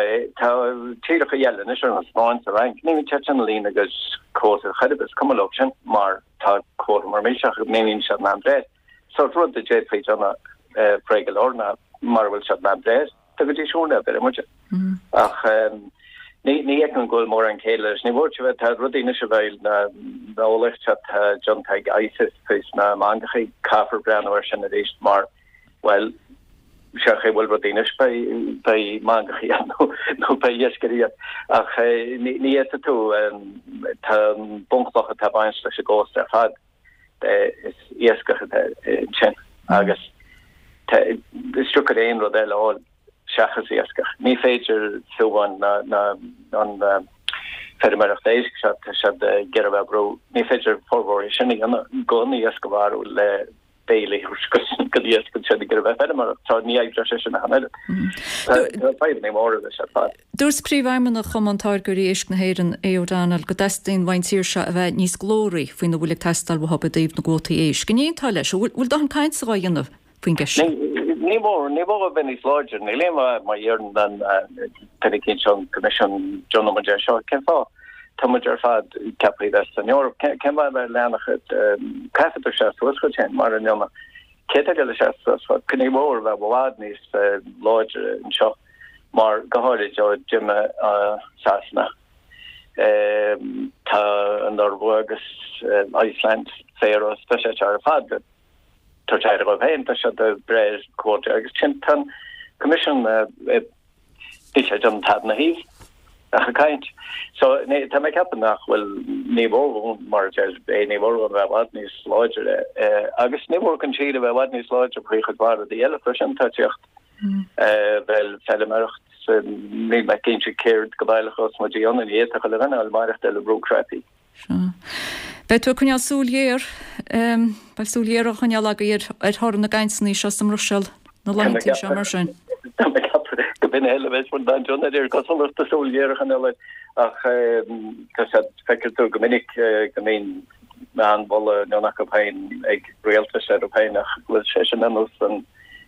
tíreacha eile anois ar an Spáinn sa Fhrainc, ní bhíonn siad sin ag líonadh a gcuid cuóta chor ar bith, is cuma leo sin mar tá cuóta mór millteach acu, ní bhíonn siad in ann breith. Sórt rud a d'fhéadfaí déanamh réidh go leor ná mura bhfuil siad in ann breith, Tugaidís úrna a bheireadh muide. Ach ní fheicim go bhfuil mórán céille leis. Ní bhfuair sé tá rudaí anois a bheidh na eolaíocht atá déanta ag ICES faoi sna mangachaí, caithfear breathnú air sin arís mar, bhuel, sé chaoi bhfuil rudaí anois beidh beidh mangachaí ann nó beidh iascairí ann. Ach ní fhéadfaidh tú, tá an bunchloch atá ag baint leis an gcósta ar fad, is iascach atá ansin agus is deacair aon rud eile a fháil seachas iascach. Ní féidir fiú amháin an feirmeoireacht éisc seo, tá siad ag iarraidh a bheith ag brú, ní féidir formhór sin a dhéanamh gan iasc a mharú le béile a thabhairt don iasc ansin ag iarraidh bheith feirmeoireacht. So ní oibreoidh sé sin ach an oiread. Tá fadhbanna móra leis ar fad. Dúirt Príomhfheidhmeannach Chumann Táirgeoirí Éisc na hÉireann, Aodh O'Donnell, go dteastaíonn uaidh an tír seo a bheith níos glóraí faoina bhfuil ag teastáil uathu i dtaobh na gcuótaí éisc. An aontófá leis? An bhfuil dóthain cainte dhá dhéanamh faoin gceist seo? Ní mór, ní mór a bheith níos láidre. Níl aon mhaith má iarrann an duine eicínt ón gCoimisiún déanfaidh muid é seo. Cén fáth? Tá muid ar fad ceaptha a bheith san Eoraip. Cén fáth a bheith leanach? Caithfidh tú seasamh suas dhuit féin mar a ndéanadh. Cé tá ag dul a seasamh suas dhuit? Ní mór a bheith i bhfad níos láidre anseo. mar go háirid ó d'imigh Sasana, tá an Iorua agus Iceland, Faroes, tá siad seo ar fad ag tabhairt aire dóibh féin, tá siad ag breith ar cuóta agus sin tá an Coimisiún níl sé ag déanamh tada ina thaobh ach ag caint. So tá mé ag ceapadh nach bhfuil, ní mór dhúinn, mar a deir é, ní mór dhúinn a bheith i bhfad níos láidre agus ní mór don tír a bheith i bhfad níos láidre faoi chuid mhaith rudaí eile freisin atá ag tíocht. Bhuel, feilméaracht, níl mé cinnte céard go baileach a bheas muid a dhéanamh, ní fhéadfadh chuile dhuine a mhaireachtáil ar brú cnaipí. Sea. Beidh tú ag coinneáil súil ghéar, beidh súil ghéar á choinneáil agaibh ar thoradh na gcainteanna seo sa mBruiséil na laethanta seo mar sin. Tá mé. duine eile a bheas mar Dan John ar cosúlacht a súil ghéar a choinneáil air ach tá sé feictear tú go minic go mbíonn an-mholadh an acu féin ag rialtais orthu féin ach go bhfuil sé sin ar nós an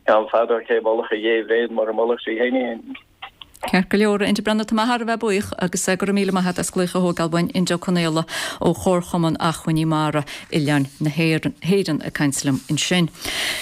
ceann fada cé mholfadh a dhé bhréan mura molfadh sí féin í féin. Ceart go leor, a Enda Breathnach, tá mé thar a bheith buíoch agus go raibh míle maith agat as glaoch a thógáil uainn, Enda Ó Conaola ó Chomharchumann Achmhainní Mara Oileáin na hÉireann ag caint liom ansin.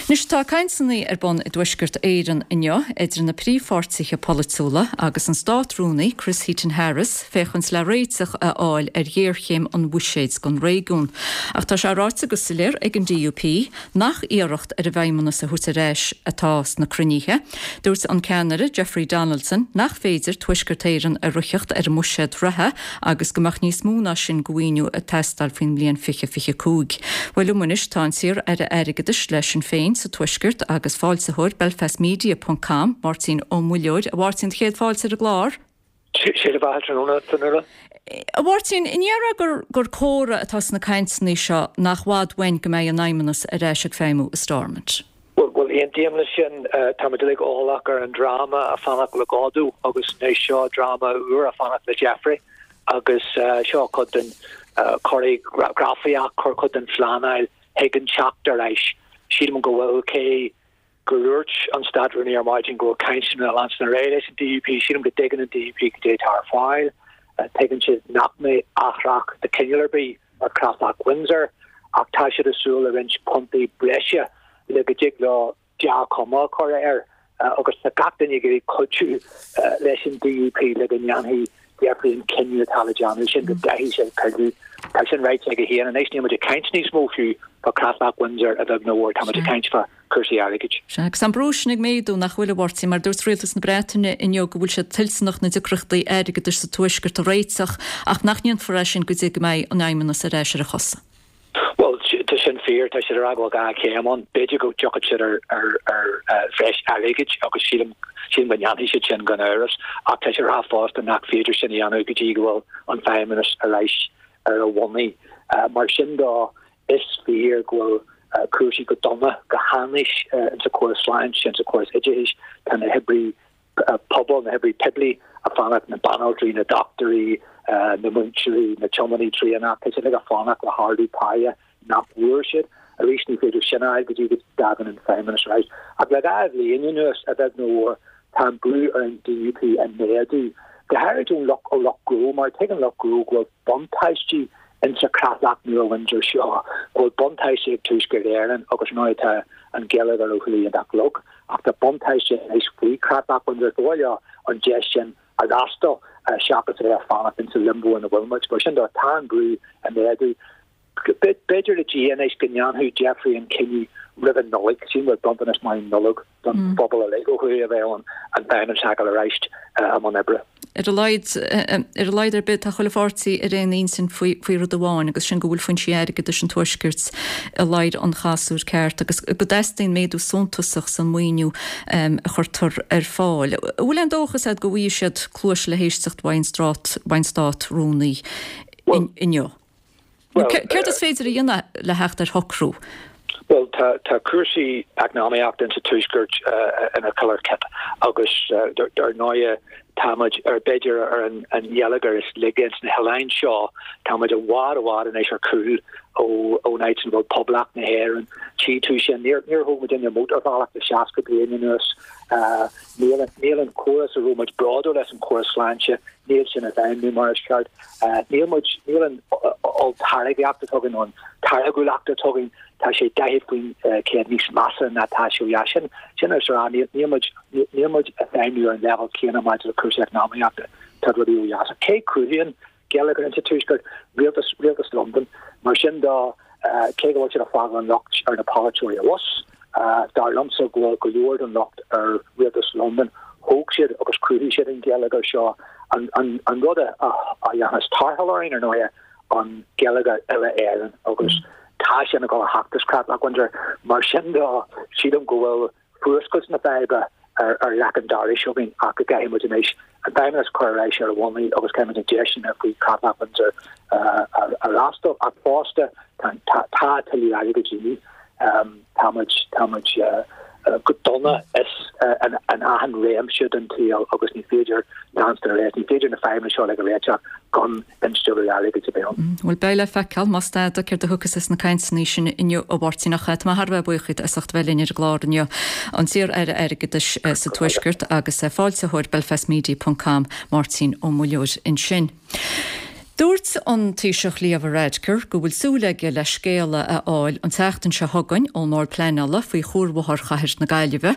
Anois tá cainteanna ar bun i dTuaisceart Éireann inniu idir na príomhpháirtithe polaitiúla agus an Stát-Rúnaí Chris Heaton-Harris féachaint le réiteach a fháil ar ghéarchéim an bhuiséid don réigiún. Ach tá sé ráite go soiléir ag an DUP nach iarracht ar an bhFeidhmeannas a thabhairt ar ais atá sna cruinnithe. Dúirt an ceannaire Jeffrey Donaldson nach féidir Tuaisceart Éireann a shroicheacht ar an mbuiséad reatha agus go mbeadh níos mó ná sin de mhaoiniú ag teastáil faoin mbliain 2025. Bhuel liom anois tá an t-iar-aire airgeadais le Sinn Féin sa Tuaisceart agus foilsitheoir Belfastmedia ponc com, Máirtín Ó Muilleoir. A Mháirtín, chéad fáilte ar an gclár. Sé do bheatha tráthnóna, Fionnuala. A Mháirtín, an ndéarfá gur gur comhartha atá sna cainteanna seo nach bhfad uainn go mbeidh an Fheidhmeannas ar ais ag feidhmiú i Stormont? Bhuel, aontaím leis sin. Tá muid uilig eolach ar an dráma a fanacht le Godot agus anois seo dráma úr a fanacht le Jeffrey agus seo cuid den choreografaíocht, cuid den phleanáil chuig an teacht ar ais. Sílim go bhfuil cé gur dhúirt an Stát-Rúnaí ar maidin go bhfuil cainteanna ag leanstan ar aghaidh leis an DUP. Sílim go dtuigeann an DUP cad é atá ar fáil. Tuigeann siad nach mbeidh athrach de chineál ar bith ar Chreatlach Windsor ach tá siad ag súil le roinnt puntaí breise le go dtig leo dea-chuma a chur air agus tá gach duine ag iarraidh cuidiú leis an DUP le go ndéanfaidh Jeffrey an cinneadh atá le déanamh sin go gcaithfidh sé pilleadh. Tá sin ráite aige féin. Anois níl muid ag caint níos mó fiú fá Chreatlach Windsor a bheag nó a mhór, tá muid ag caint fá cúrsaí airgid. Sea, agus tá an brú sin ag méadú, nach bhfuil, a Mháirtín, mar dúirt Rialtas na Breataine inniu go bhfuil siad toilteanach na deacrachtaí airgeadais sa Tuaisceart a réiteach ach nach ndéanfar é sin go dtí go mbeidh an Fheidhmeannas ar ais ar a chosa. Bhuel, tá sin fíor, tá siad ag rá go bhfuil gá céim ann. B'fhéidir go dtiocfaidh siad ar bhreis airgid agus sílim go ndéanfaidh siad sin gan amhras ach tá siad ag rá fosta nach féidir sin a dhéanamh go dtí go bhfuil an Feidhmeannas ar ais ar a bhonnaí. Mar sin de, is fíor go bhfuil cúrsaí go dona, go hainnis insa chóras sláinte, insa chóras oideachais. Tá na hoibrithe pobail, na hoibrithe poiblí ag fanacht, na banaltraí, na dochtúirí, na múinteoirí, na tiománaithe traenach, tá siad uilig ag fanacht le hardú páighe nach bhfuair siad. Arís, ní féidir sin a fháil go dtí go dtagann an Feidhmeannas ar ais. Ach le 2 bhliain anuas, a bheag nó a mhór, tá an brú ar an DUP ag méadú, go háirid ón lucht ó lucht gnó, mar tuigeann lucht gnó go bhfuil buntáistí insa chreatlach nua Windsor seo, go bhfuil buntáistí ag Tuaisceart Éireann agus ar ndóigh tá an geilleagar ó thuaidh iontach lag ach tá buntáiste anois faoi chreatlach Windsor. Ba mhaith leo an deis sin a fhreastal seachas a bheith ag fanacht insa limbo ina bhfuil muid. Mar sin de, tá an brú ag méadú. B'fhéidir le Dia anois go ndéanfadh Jeffrey an cinneadh roimh an Nollaig. Sílim go bhfuil bronntanas maith Nollag don phobal uilig ó thuaidh a bheith ann an Feidhmeannas a fheiceáil arís i mbun oibre. Ar a laghad, ar a laghad ar bith, tá chuile pháirtí ar aon intinn faoi, faoi rud amháin agus sin go bhfuil foinsí airgeadais an Tuaiscirt i ladhar an chasúir ceart agus go dteastaíonn méadú suntasach san maoiniú a chuirtear ar fáil. An bhfuil aon dóchas agat go bhfaighidh siad cluais le héisteacht uaidh an Stát-Rúnaí inniu? Céard is féidir a dhéanamh le theacht ar shocrú? Bhuel, tá cúrsaí eacnamaíochta insa Tuaisceart ina killer kit agus dar ndóighe tá muid ar b'fhéidir ar an gheilleagar is laige ins na hoileáin seo. Tá muid i bhfad i bhfad anois ar chúl ón áit ina bhfuil Poblacht na hÉireann. Tchí tú sin, níor thóg muidinne mótarbhealach le 60 bliain anuas. Níl an córas a raibh muid bródúil as, an córas sláinte, níl sin ag feidhmiú mar is ceart. Níl muid, níl an olltáirgeacht atá againn, an táirgiúlacht atá againn, tá sé 40% níos measa ná tá sé ó dheas. Sin, sin is a rá, níl, níl muid, níl muid ag feidhmiú ar an leibhéal céanna maidir le cúrsaí eacnamaíochta, tá rudaí ó dheas. Cé cruthaíonn geilleagar insa Tuaisceart, rialtas, rialtas Londain. Mar sin de, cé go bhfuil siad ag fágáil an locht ar na polaiteoirí abhus, dar liomsa go bhfuil go leor den locht ar rialtas Londain. Thóg siad agus chruthaigh siad an geilleagar seo. An, an, an rud a, a, a dhéanfas tarrtháil orainn, ar ndóighe, an geilleagar uile-Éireann agus tá sin ag dul a theacht as Creatlach Windsor. Mar sin de, sílim go bhfuil fuascailt na faidhbe ar leic an dorais againn ach go gcaithfidh muid anois an Feidhmeannas a chur ar ais ar a bhonnaí agus caithfidh muid an deiseanna faoi Chreatlach Windsor a fhreastal. Ach fosta tá tuilleadh airgid de dhíth. Tá muid, tá muid. go dona is in achan réimse den tsaol agus ní féidir leanstan ar aghaidh, ní féidir na fadhbanna seo uilig a réiteach gan instealladh airgid a bheith ann. Bhuel, beidh le feiceáil, más tada, céard a thiocfas as na cainteanna sin inniu, a Mháirtín, ach tá mé thar a bheith buíoch díot as ucht a bheith linn ar an gclár inniu. An t-iar-Aire Airgeadais sa Tuaisceart agus foilsitheoir Belfastmedia ponc com, Máirtín Ó Muilleoir ansin. Dúirt an Taoiseach Leo Varadkar go bhfuil súil aige le scéala a fháil an tseachtain seo chugainn ón mBord Pleanála faoi Chuarbhóthar Chathair na Gaillimhe.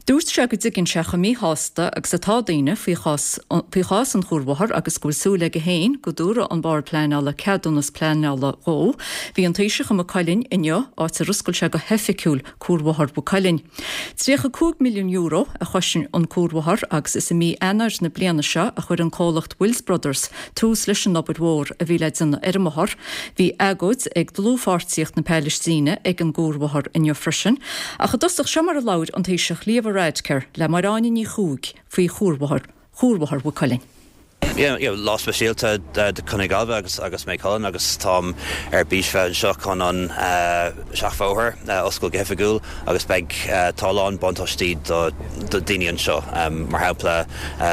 Dúirt sé go dtuigeann sé chomh míshásta agus atá daoine faoi chás an chuarbhóthair agus go bhfuil súil aige féin go dtabharfaidh an Bord Pleanála ceadúnas pleanála dhó. Bhí an Taoiseach i Maigh Cuilinn inniu, áit ar oscail sé go hoifigiúil Cuarbhóthar Mhaigh Cuilinn. €35 milliún a chosain an cuarbhóthar agus is i mí Eanáir na bliana seo a chuir an comhlacht Wills Brothers tús leis an obair mhór a bhí le déanamh ar an mbóthar. Bhí agóid ag Dlúthpháirtíocht na Palaistíne ag an gcuarbhóthar inniu freisin. Ach i dtosach seo mar a labhair an Taoiseach Leo Varadkar le Máire Áine Ní Chuaig faoi chuarbhóthar Chuarbhóthar Mhaigh Cuilinn. Yeah, you know, lá speisialta do Chontae na Gaillimhe agus agus Maigh Cuilinn agus táim ar bís bheith anseo chun an seachbhóthar a oscailt go hoifigiúil agus beidh, tá a lán buntáistí do do daoine anseo, mar shampla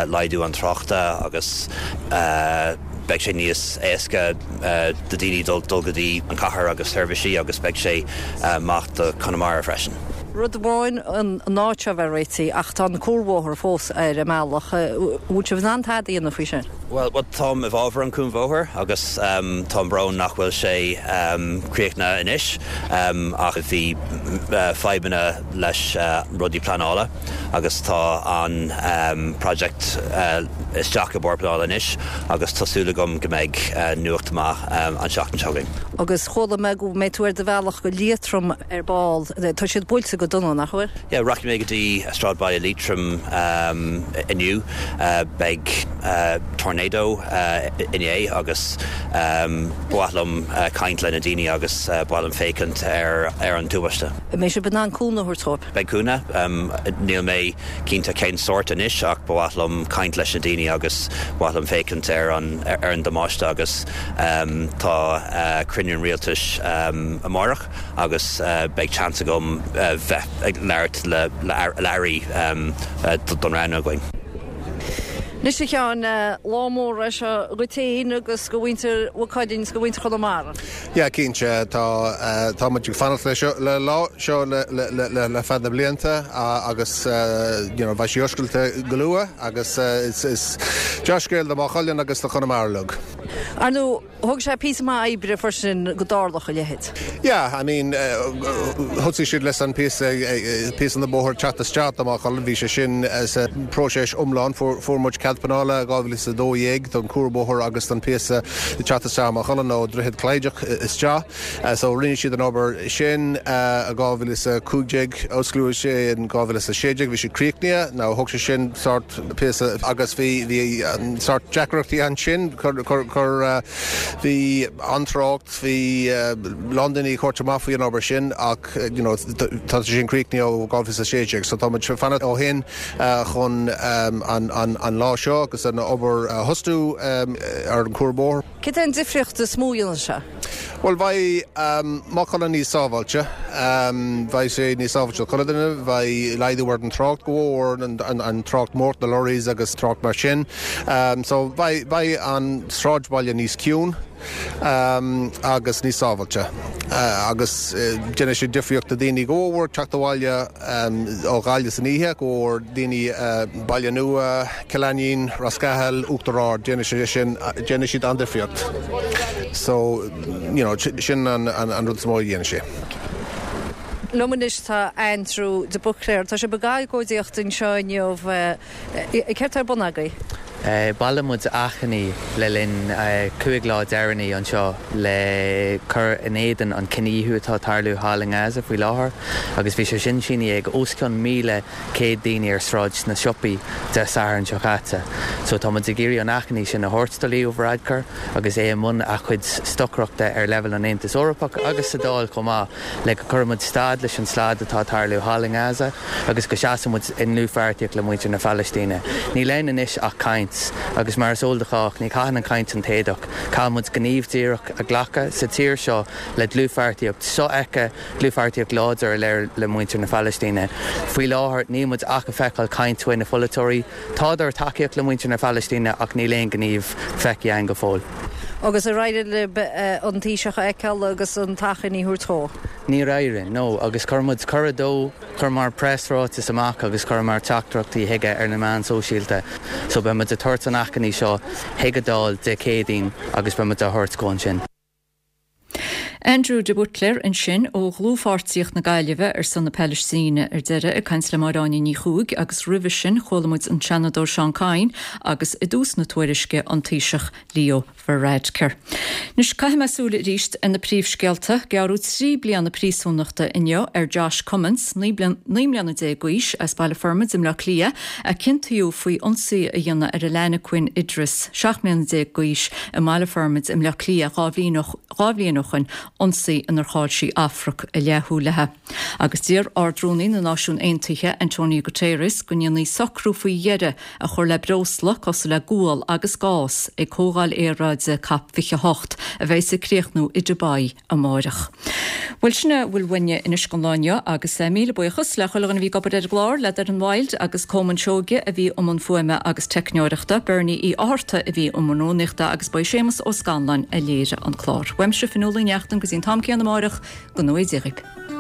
laghdú an tráchta agus beidh sé níos éasca do daoine dul dul go dtí an cathair agus seirbhísí agus beidh sé maith do Chonamara freisin. Rud amháin an áit seo a bheith réitithe ach tá an cuarbhóthar fós ar an mbealach. An bhfuil sibh in ann tada a dhéanamh faoi sin? Bhuel, táim i bhfabhar an cuarbhóthar agus táim brón nach bhfuil sé críochnaithe anois ach bhí fadhbanna leis rudaí pleanála agus tá an project isteach i Bord Pleanála anois agus tá súil agam go mbeidh nuacht maith an seachtain seo chugainn. Agus chuala mé go mbeidh tú ar do bhealach go Liatroim ar ball. Tá siad buailte go dona, nach bhfuil? Yeah, rachaidh mé go dtí sráidbhaile Liatroim inniu. Beidh tornado inné agus ba mhaith liom caint le na daoine agus ba mhaith liom féachaint ar an tubaiste. An mbeidh sibh in ann cúnamh a thabhairt dóibh? Beidh cúnamh. Níl mé cinnte cén sórt anois ach ba mhaith liom caint leis na daoine agus ba mhaith liom féachaint ar an damáiste agus tá cruinniú an rialtais amárach. agus beidh seans agam bheith ag labhairt le airí don rannóg againn. Anois a Sheáin, lá mór é seo dhuit féin agus do mhuintir Mhaigh Cuilinn is do mhuintir Chonamara. Yeah, cinnte. Tá, tá muid ag fanacht le seo, le lá seo le, le, le, le feadh na blianta agus you know, beidh sí oscailte go luath agus is, is dea-scéal do Mhaigh Cuilinn agus do Chonamara uilig. Ar ndóigh, Thóg sé píosa maith oibre freisin go dtarlódh a leithéid. Yeah, I mean, thosaigh siad leis an píosa, píosa na bóthar teacht isteach do Maigh Cuilinn, bhí sé sin sa próiseas iomlán, fuair muid cead pleanála i 2012 don cuarbhóthar agus don píosa teacht isteach i Maigh Cuilinn ó Droichead Chlaideach isteach. So rinne siad an obair sin i 2015, osclaíodh sé in 2016, bhí sé críochnaithe, now thóg sé sin sort, píosa agus bhí bhí sort deacrachtaí ansin cur cur bhí an-trácht bhí lán daoine ag thabhairt amach faoi an obair sin ach you know tá sé sin críochnaithe ó 2016 so tá muid ag fanacht ó shin chun an an an lá seo agus an obair a thosú ar an cuarbhóthar. Cad é an difríocht is mó a dhéanfaidh sé? Bhuel, beidh Maigh Cuilinn níos sábháilte. Beidh sé níos sábháilte do chuile duine. Beidh laghdú ar an trácht go mhór, an trácht mór, na lorries agus trácht mar sin. So beidh, beidh an sráidbhaile níos ciúin agus níos sábháilte. Agus déanfaidh sé difríocht do daoine go mhór teacht abhaile ó Ghaillimh san oíche, go mhór daoine Baile Nua, Cill Ainnín, Ros Cathail, Uachtar Ard, déanfaidh sé sin, déanfaidh siad an-difríocht. So, you know, sin an rud is mó a dhéanfaidh sé. Liom anois tá Andrew de Buitléar. Tá sibh ag agóidíocht anseo inniu. Céard tá ar bun agaibh? Bhailigh muid achainí le linn 5 lá deireanaí anseo le cur in éadan an cinedhíothú atá ag tarlú thall i nGaza faoi láthair agus bhí sé sin sínithe ag os cionn 1,100 daoine ar Sráid na Siopaí Dé Sathairn seo caite. So tá muid ag iarraidh an achainí sin a thabhairt do Leo Varadkar agus é i mbun a chuid stocaireachta ar leibhéal an Aontais Eorpach agus sa Dáil chomh maith le go gcuirfidh muid stad leis an slad atá ag tarlú thall i nGaza agus go seasfaidh muid i ndlúthpháirtíocht le muintir na Palaistíne. Níl ann anois ach caint. caint agus mar is eol do chách, ní chaitheann an chaint an t-éadach. Caithfidh muid gníomh díreach a ghlacadh sa tír seo le dlúthpháirtíocht sofheicthe, dlúthpháirtíocht láidir a léiriú le muintir na Palaistíne. Faoi láthair, níl muid ach ag feiceáil caint uaidh na pholaiteoirí. Tádar ag tacaíocht le muintir na Palaistíne ach níl aon ghníomh feicthe againn go fóill. Agus ar éirigh libh an Taoiseach a fheiceáil agus an t-achainí a thabhairt dó? Níor éirigh, no. Agus chuir muid cuireadh dó, chuireamar preasráiteas amach agus chuireamar teachtaireachtaí chuige ar na meáin sóisialta. So beidh muid ag tabhairt an achainí seo chuig an Dáil Dé Céadaoin agus beidh muid á thabhairt dhó ansin. Andrew de Buitléir ansin ó Dhlúthpháirtíocht na Gaillimhe ar son na Palaistíne ar deireadh ag caint le Máire Áine Ní Chuaig agus roimhe sin chuala muid an Seanadóir Seán Kyne agus i dtús na tuairisce an Taoiseach Leo Varadkar. Anois caithfidh mé súil arís ar na príomhscéalta. Gearradh 3 bliana príosúnachta inniu ar Josh Cummins, 19 mbliana d'aois, as Baile Formaid i mBleá Cliath, a ciontaíodh faoi ionsaí a dhéanamh ar a leainneaquin Idris, 17 mbliana d'aois, i mBaile Formaid i mBleá Cliath 2 bhliain ó shoin, ionsaí inar chaill sí amharc a leathshúil léi. Agus d'iarr Ard-Rúnaí na Náisiún Aontaithe, Antonio Guterres, go ndéanfaí socrú faoi dheireadh a chur le breosla cosúil le gual agus gás ag Comhdháil Aeráide Cop 28 a bheas ag críochnú i Dubai amáireach. Bhuel, sin a bhfuil uainne anois don lá inniu agus míle buíochas le chuile dhuine a bhí ag obair ar an gclár, le Doireann Wilde agus Colman Seoige a bhí i mbun fuaime agus teicneoireachta, Bernie Uí Fhátharta a bhí i mbun rúnaíochta agus ba é Séamus Ó Scanláin a léirigh an clár. Uaimse, Fionnuala Uí Neachtain, go dtí an t-am céanna amáireach, go ngnóthaí Dia dhaoibh.